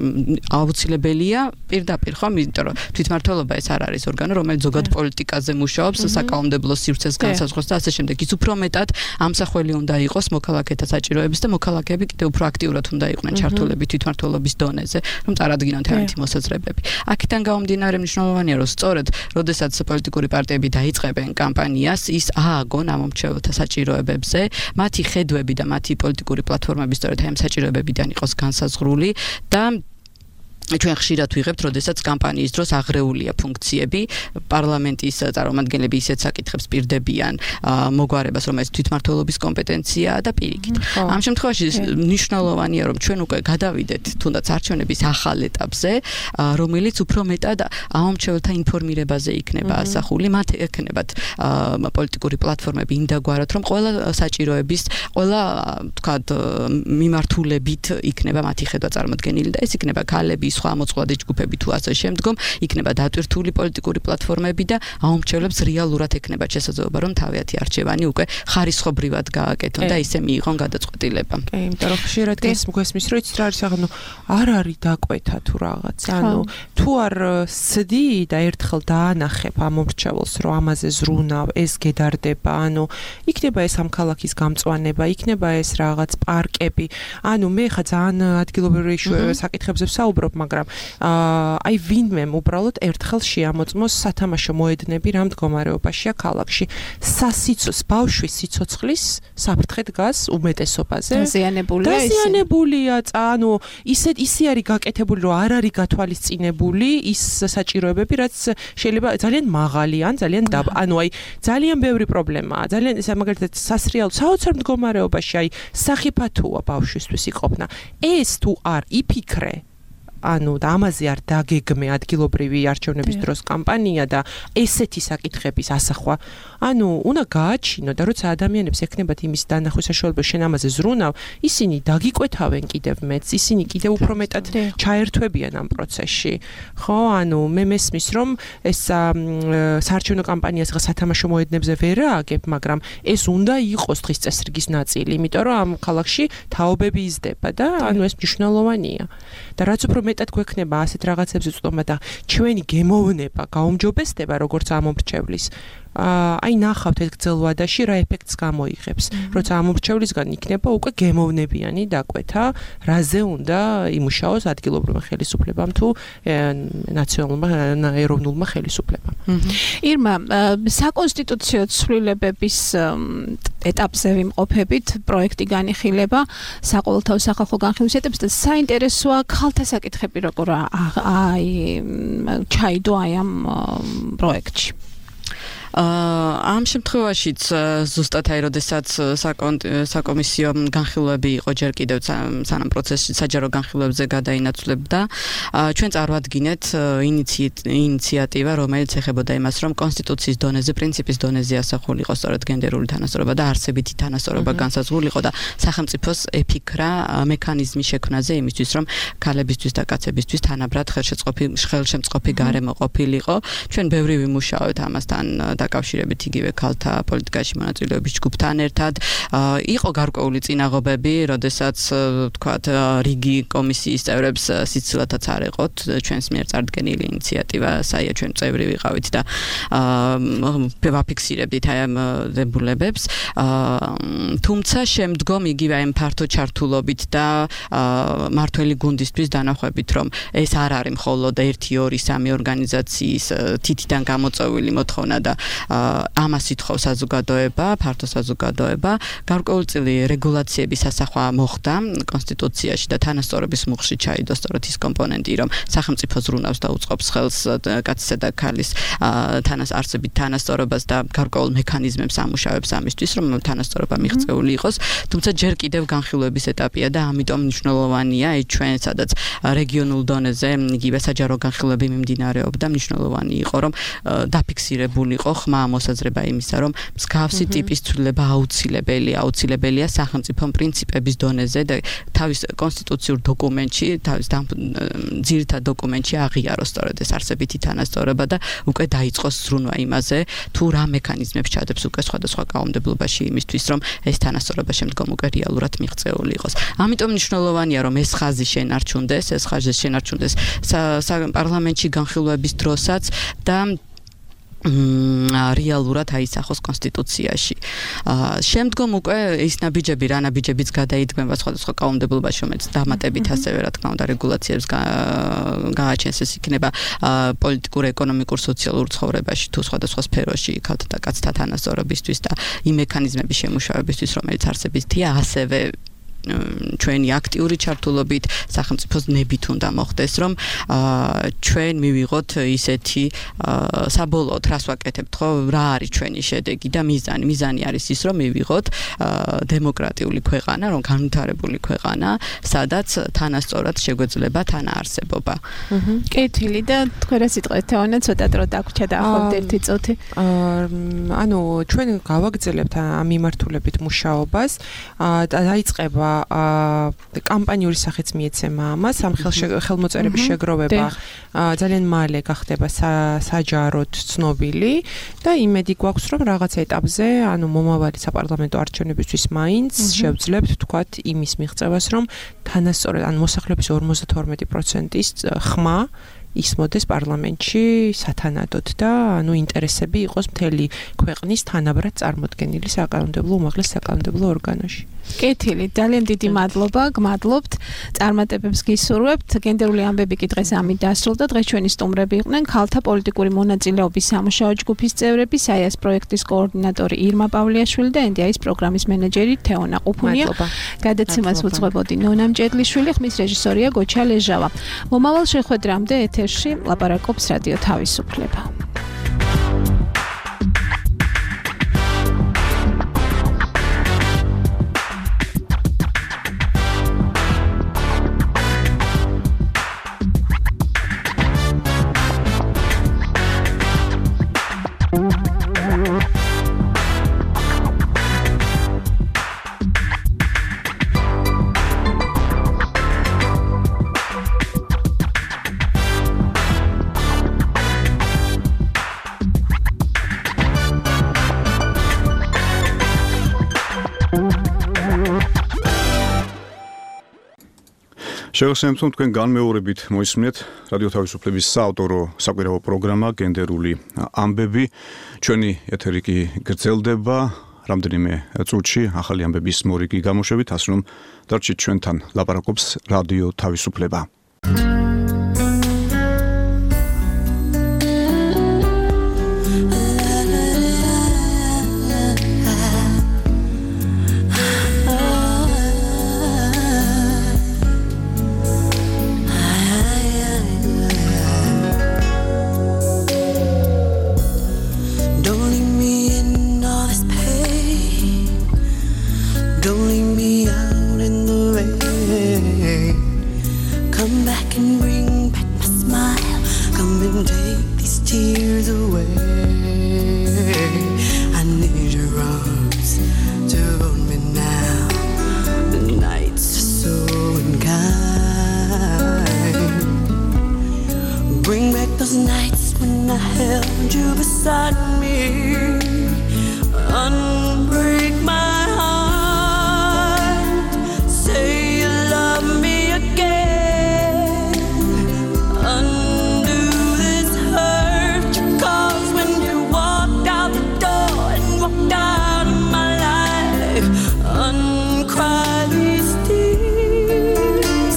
აუცილებელია პირდაპირ ხომ, იმიტომ რომ თვითმმართველობა ეს არ არის ორგანო, რომელიც ზოგად პოლიტიკაზე მუშაობს, საკანონმდებლო სივრცეს განსაზღვროს და ასე შემდეგ. ის უფრო მეტად ამსახველი უნდა იყოს მოქალაქეთა საჭიროების და მოქალაქეები კიდევ უფრო აქტიურად უნდა იყვნენ ჩართულები თვითმმართველობის დონეზე, რომ წარადგინონ თავიანთი მოსაზრებები. აქედან გამომდინარე მნიშვნელოვანია, რომ სწორედ როდესაც პოლიტიკური პარტიები დაიწყებენ კამპანიას, ის ააგონ ამომრჩეველთა საჭიროებებზე, მათი ხედვები და მათი პოლიტიკური პლატფორმები სწორედ ამ საჭიროებებიდან იყოს განსაზღვრული და ჩვენ ხშირად ვიღებთ, როდესაც კამპანიის დროს აღრეულია ფუნქციები, პარლამენტის წარმომადგენლები ისეთ საკითხებს პირდებიან მოგვარებას, რომელიც თვითმმართველობის კომპეტენციაა და პირიქით. ამ შემთხვევაში მნიშვნელოვანია, რომ ჩვენ უკვე გადავიდეთ თუნდაც არჩევნების ახალ ეტაპზე, რომელიც უფრო მეტად ამომრჩეველთა ინფორმირებაზე იქნება ასახული, მათ ექნებათ პოლიტიკური პლატფორმები იმ დაგვარად, რომ ყველა საჭიროების, ყველა ვთქვათ მიმართულებით იქნება მათი ხედვა წარმოდგენილი და ეს იქნება ქალები, სხვა მოწყვლადი ჯგუფები თუ ასე შემდგომ, იქნება დატვირთული პოლიტიკური პლატფორმები და ამომრჩევლებს რეალურად ექნებათ შესაძლებლობა, რომ თავიანთი არჩევანი უკვე ხარისხობრივად გააკეთონ და ისე მიიღონ გადაწყვეტილება. კი, იმიტომ რომ ხშირად გესმის, რომ იცით რა არის, ანუ არ არის დაკვეთა თუ რაღაც, ანუ თუ არ სცდი და ერთხელ დაანახებ ამომრჩეველს, რომ ამაზე ზრუნავ, ეს გედარდება, ანუ იქნება ეს ამ ქალაქის გამწვანება, იქნება ეს რაღაც პარკები, ანუ მე ხა ძალიან ადგილობრივი საკითხებზე ვსაუბრობ, მაგრამ აი ვინმემ უბრალოდ ერთხელ შეამოწმოს სათამაშო მოედნები რა მდგომარეობაშია ქალაქში. სასიცოცხლის ბავშვის სიცოცხლის საფრთხე დგას უმეტესობაზე. დაზიანებულია ისე. დაზიანებულია, ანუ ისე ისე არის გაკეთებული, რომ არ არის გათვალისწინებული ის საჭიროებები, რაც შეიძლება ძალიან მაღალი ან ძალიან დაბა. ანუ აი ძალიან ბევრი პრობლემაა. ძალიან ეს მაგალითად სასრიალო საოცარ მდგომარეობაში აი სახიფათოა ბავშვისთვის იყოფნა. ეს თუ არ იფიქრე ანუ და ამაზე არ დაგეგმე ადგილობრივი არჩევნების დროს კამპანია და ესეთი საკითხების ასახვა. ანუ უნდა გააჩინო და როცა ადამიანებს ექნებათ იმის დანახვის საშუალება შენ ამაზე ზრუნავ, ისინი დაგიკვეთავენ კიდევ მეც, ისინი კიდევ უფრო მეტად ჩაერთვებიან ამ პროცესში. ხო, ანუ მე მესმის რომ ეს საარჩევნო კამპანიას ღა სათამაშო მოედნებზე ვერ ააგებ, მაგრამ ეს უნდა იყოს დღის წესრიგის ნაწილი, იმიტომ რომ ამ ქალაქში თაობები იზრდება და ანუ ეს მნიშვნელოვანია. და რაც უფრო მეტად გვექნება ასეთ რაღაცებზე წვდომა და ჩვენი გემოვნება, გაუმჯობესდება როგორც ამომრჩევლის. აი ნახავთ ეს გრძელვადაში რა ეფექტს გამოიღებს. როცა ამომრჩევლისგან იქნება უკვე გემოვნებიანი დაკვეთა, რაზე უნდა იმუშაოს ადგილობრივმა ხელისუფლებამ თუ ნაციონალურმა ეროვნულმა ხელისუფლებამ. ირმა, საკონსტიტუციო ცვლილებების ეტაპზე ვიმყოფებით, პროექტი განიხილება საყოველთაო სახალხო განხილვის ეტაპზე და საინტერესოა ქალთა საკითხები როგორ აი ჩაიდო აი ამ პროექტში. ამ შემთხვევაშიც ზუსტად აი როდესაც საკომისიო განხილვები იყო ჯერ კიდევ სანამ პროცესში საჯარო განხილვებზე გადაინაცვლებდა, ჩვენ წარვადგინეთ ინიციატივა, რომელიც ეხებოდა იმას, რომ კონსტიტუციის დონეზე, პრინციპის დონეზე ასახულიყო სწორედ გენდერული თანასწორობა და არსებითი თანასწორობა განსაზღვრულიყო და სახელმწიფოს ეფიქრა მექანიზმი შექმნაზე იმისთვის, რომ ქალებისთვის და კაცებისთვის თანაბრად ხელშეწყობი ხელშემწყობი გარემო ყოფილიყო. ჩვენ ბევრი ვიმუშაოთ ამასთან დაკავშირებით იგივე ქალთა პოლიტიკაში მონაწილეობის ჯგუფთან ერთად იყო გარკვეული წინაღობები, როდესაც თქვათ რიგი კომისიის წევრებს სიცილათაც არ ეყოთ ჩვენს მიერ წარდგენილი ინიციატივა, საია ჩვენ წევრი ვიყავით და ვაფიქსირებდით აი ამ დებულებებს. თუმცა შემდგომ იგივე ამ ფართო ჩართულობით და მართველი გუნდისთვის დანახვებით, რომ ეს არ არის მხოლოდ ერთი ორი სამი ორგანიზაციის თითიდან გამოწვეული მოთხოვნა და ამას ითხოვს საზოგადოება, ფართო საზოგადოება, გარკვეულწილი რეგულაციების ასახვა მოხდა კონსტიტუციაში და თანასწორობის მუხში ჩაიდო სწორედ ის კომპონენტი, რომ სახელმწიფო ზრუნავს და უწყობს ხელს კაცისა და ქალის თანას არსებით თანასწორობას და გარკვეულ მექანიზმებს ამუშავებს ამისთვის, რომ თანასწორობა მიღწეული იყოს. თუმცა ჯერ კიდევ განხილვების ეტაპია და ამიტომ მნიშვნელოვანია აი ჩვენ სადაც რეგიონულ დონეზე იგივე საჯარო განხილვები მიმდინარეობდა, მნიშვნელოვანი იყო, რომ დაფიქსირებულიყო ხმა მოსაზრება იმისა, რომ მსგავსი ტიპის ცვლილება აუცილებელია, აუცილებელია სახელმწიფო პრინციპების დონეზე და თავის კონსტიტუციურ დოკუმენტში, თავის ძირითად დოკუმენტში აღიაროს სწორედ ეს არსებითი თანასწორობა და უკვე დაიწყოს ზრუნვა იმაზე, თუ რა მექანიზმებს ჩადებს უკვე სხვადასხვა კანონმდებლობაში იმისთვის, რომ ეს თანასწორობა შემდგომ უკვე რეალურად მიღწეული იყოს. ამიტომ მნიშვნელოვანია, რომ ეს ხაზი შენარჩუნდეს, ეს ხაზი შენარჩუნდეს პარლამენტში განხილვების დროსაც და რეალურად აისახოს კონსტიტუციაში. შემდგომ უკვე ის ნაბიჯები, რა ნაბიჯებიც გადაიდგმება სხვადასხვა კანონმდებლობაში, რომელიც დამატებით ასევე რა თქმა უნდა რეგულაციებს გააჩენს, ეს იქნება პოლიტიკურ, ეკონომიკურ, სოციალურ ცხოვრებაში თუ სხვადასხვა სფეროში ქალთა და კაცთა თანასწორობისთვის და იმ მექანიზმების შემუშავებისთვის, რომელიც არსებითია, ასევე ჩვენი აქტიური ჩართულობით სახელმწიფოს ნებით უნდა მოხდეს, რომ ჩვენ მივიღოთ ისეთი საბოლოოდ რას ვაკეთებთ, ხო, რა არის ჩვენი შედეგი და მიზანი. მიზანი არის ის, რომ მივიღოთ დემოკრატიული ქვეყანა, რომ განვითარებული ქვეყანა, სადაც თანასწორად შეგვეძლება თანაარსებობა. კეთილი და თქვენ რა სიტყვით თეონა ცოტა დრო დაგვრჩა და ახლა ერთი წუთი. ანუ ჩვენ გავაგრძელებთ ამ მიმართულებით მუშაობას და დაიწყება კამპანიური სახეც მიეცემა ამას, ამ ხელმოწერების შეგროვება ძალიან მალე გახდება საჯაროდ ცნობილი და იმედი გვაქვს, რომ რაღაც ეტაპზე, ანუ მომავალი საპარლამენტო არჩევნებისთვის მაინც შევძლებთ თქვათ იმის მიღწევას, რომ თანასწორად ან მოსახლეობის ორმოცდათორმეტი პროცენტის ხმა ისმოდეს პარლამენტში სათანადოდ და ანუ ინტერესები იყოს მთელი ქვეყნის თანაბრად წარმოდგენილი საკანონმდებლო უმაღლეს საკანონმდებლო ორგანოში. კეთილი, ძალიან დიდი მადლობა, გმადლობთ. წარმატებებს გისურვებთ. გენდერული ამბები კი დღეს ამით დასრულდა. დღეს ჩვენი სტუმრები იყვნენ ქალთა პოლიტიკური მონაწილეობის სამუშაო ჯგუფის წევრები, საიას პროექტის კოორდინატორი ირმა პავლიაშვილი და ენ დი აის პროგრამის მენეჯერი თეონა ყუფუნია. გადაცემას უძღვებოდი ნონა მჭედლიშვილი, ხმის რეჟისორია გოჩა ლეჟავა. მომავალ შეხვედრამდე ეთერში ლაპარაკობს რადიო თავისუფლება. შევასრულებთ თქვენ განმეორებით მოისმინეთ რადიო თავისუფლების საავტორო საკვირაო პროგრამა გენდერული ამბები. ჩვენი ეთერი კი გრძელდება რამდენიმე წუთში ახალი ამბების მორიგი გამოშვებით, ასე რომ დარჩით ჩვენთან, ლაპარაკობს რადიო თავისუფლება. Come inside me. Unbreak my heart. Say you love me again. Undo this hurt you caused when you walked out the door and walked out of my life. Uncry these tears.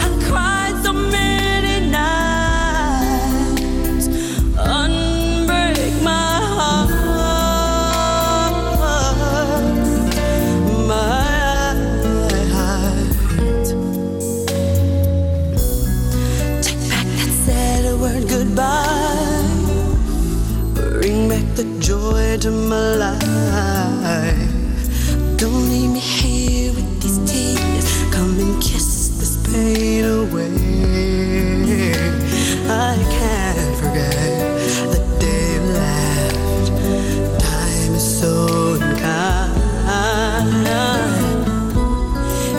I cried so many nights. Unbreak my heart. Goodbye. Bring back the joy to my life. Don't leave me here with these tears. Come and kiss this pain away. I can't forget the day you left. Time is so unkind,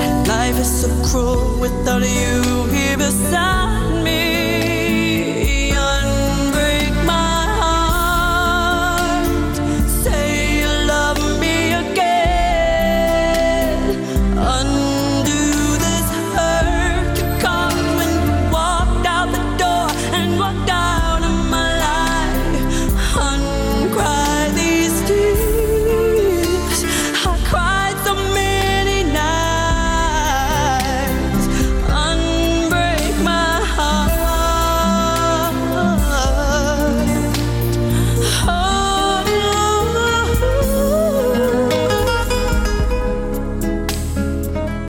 and life is so cruel without you.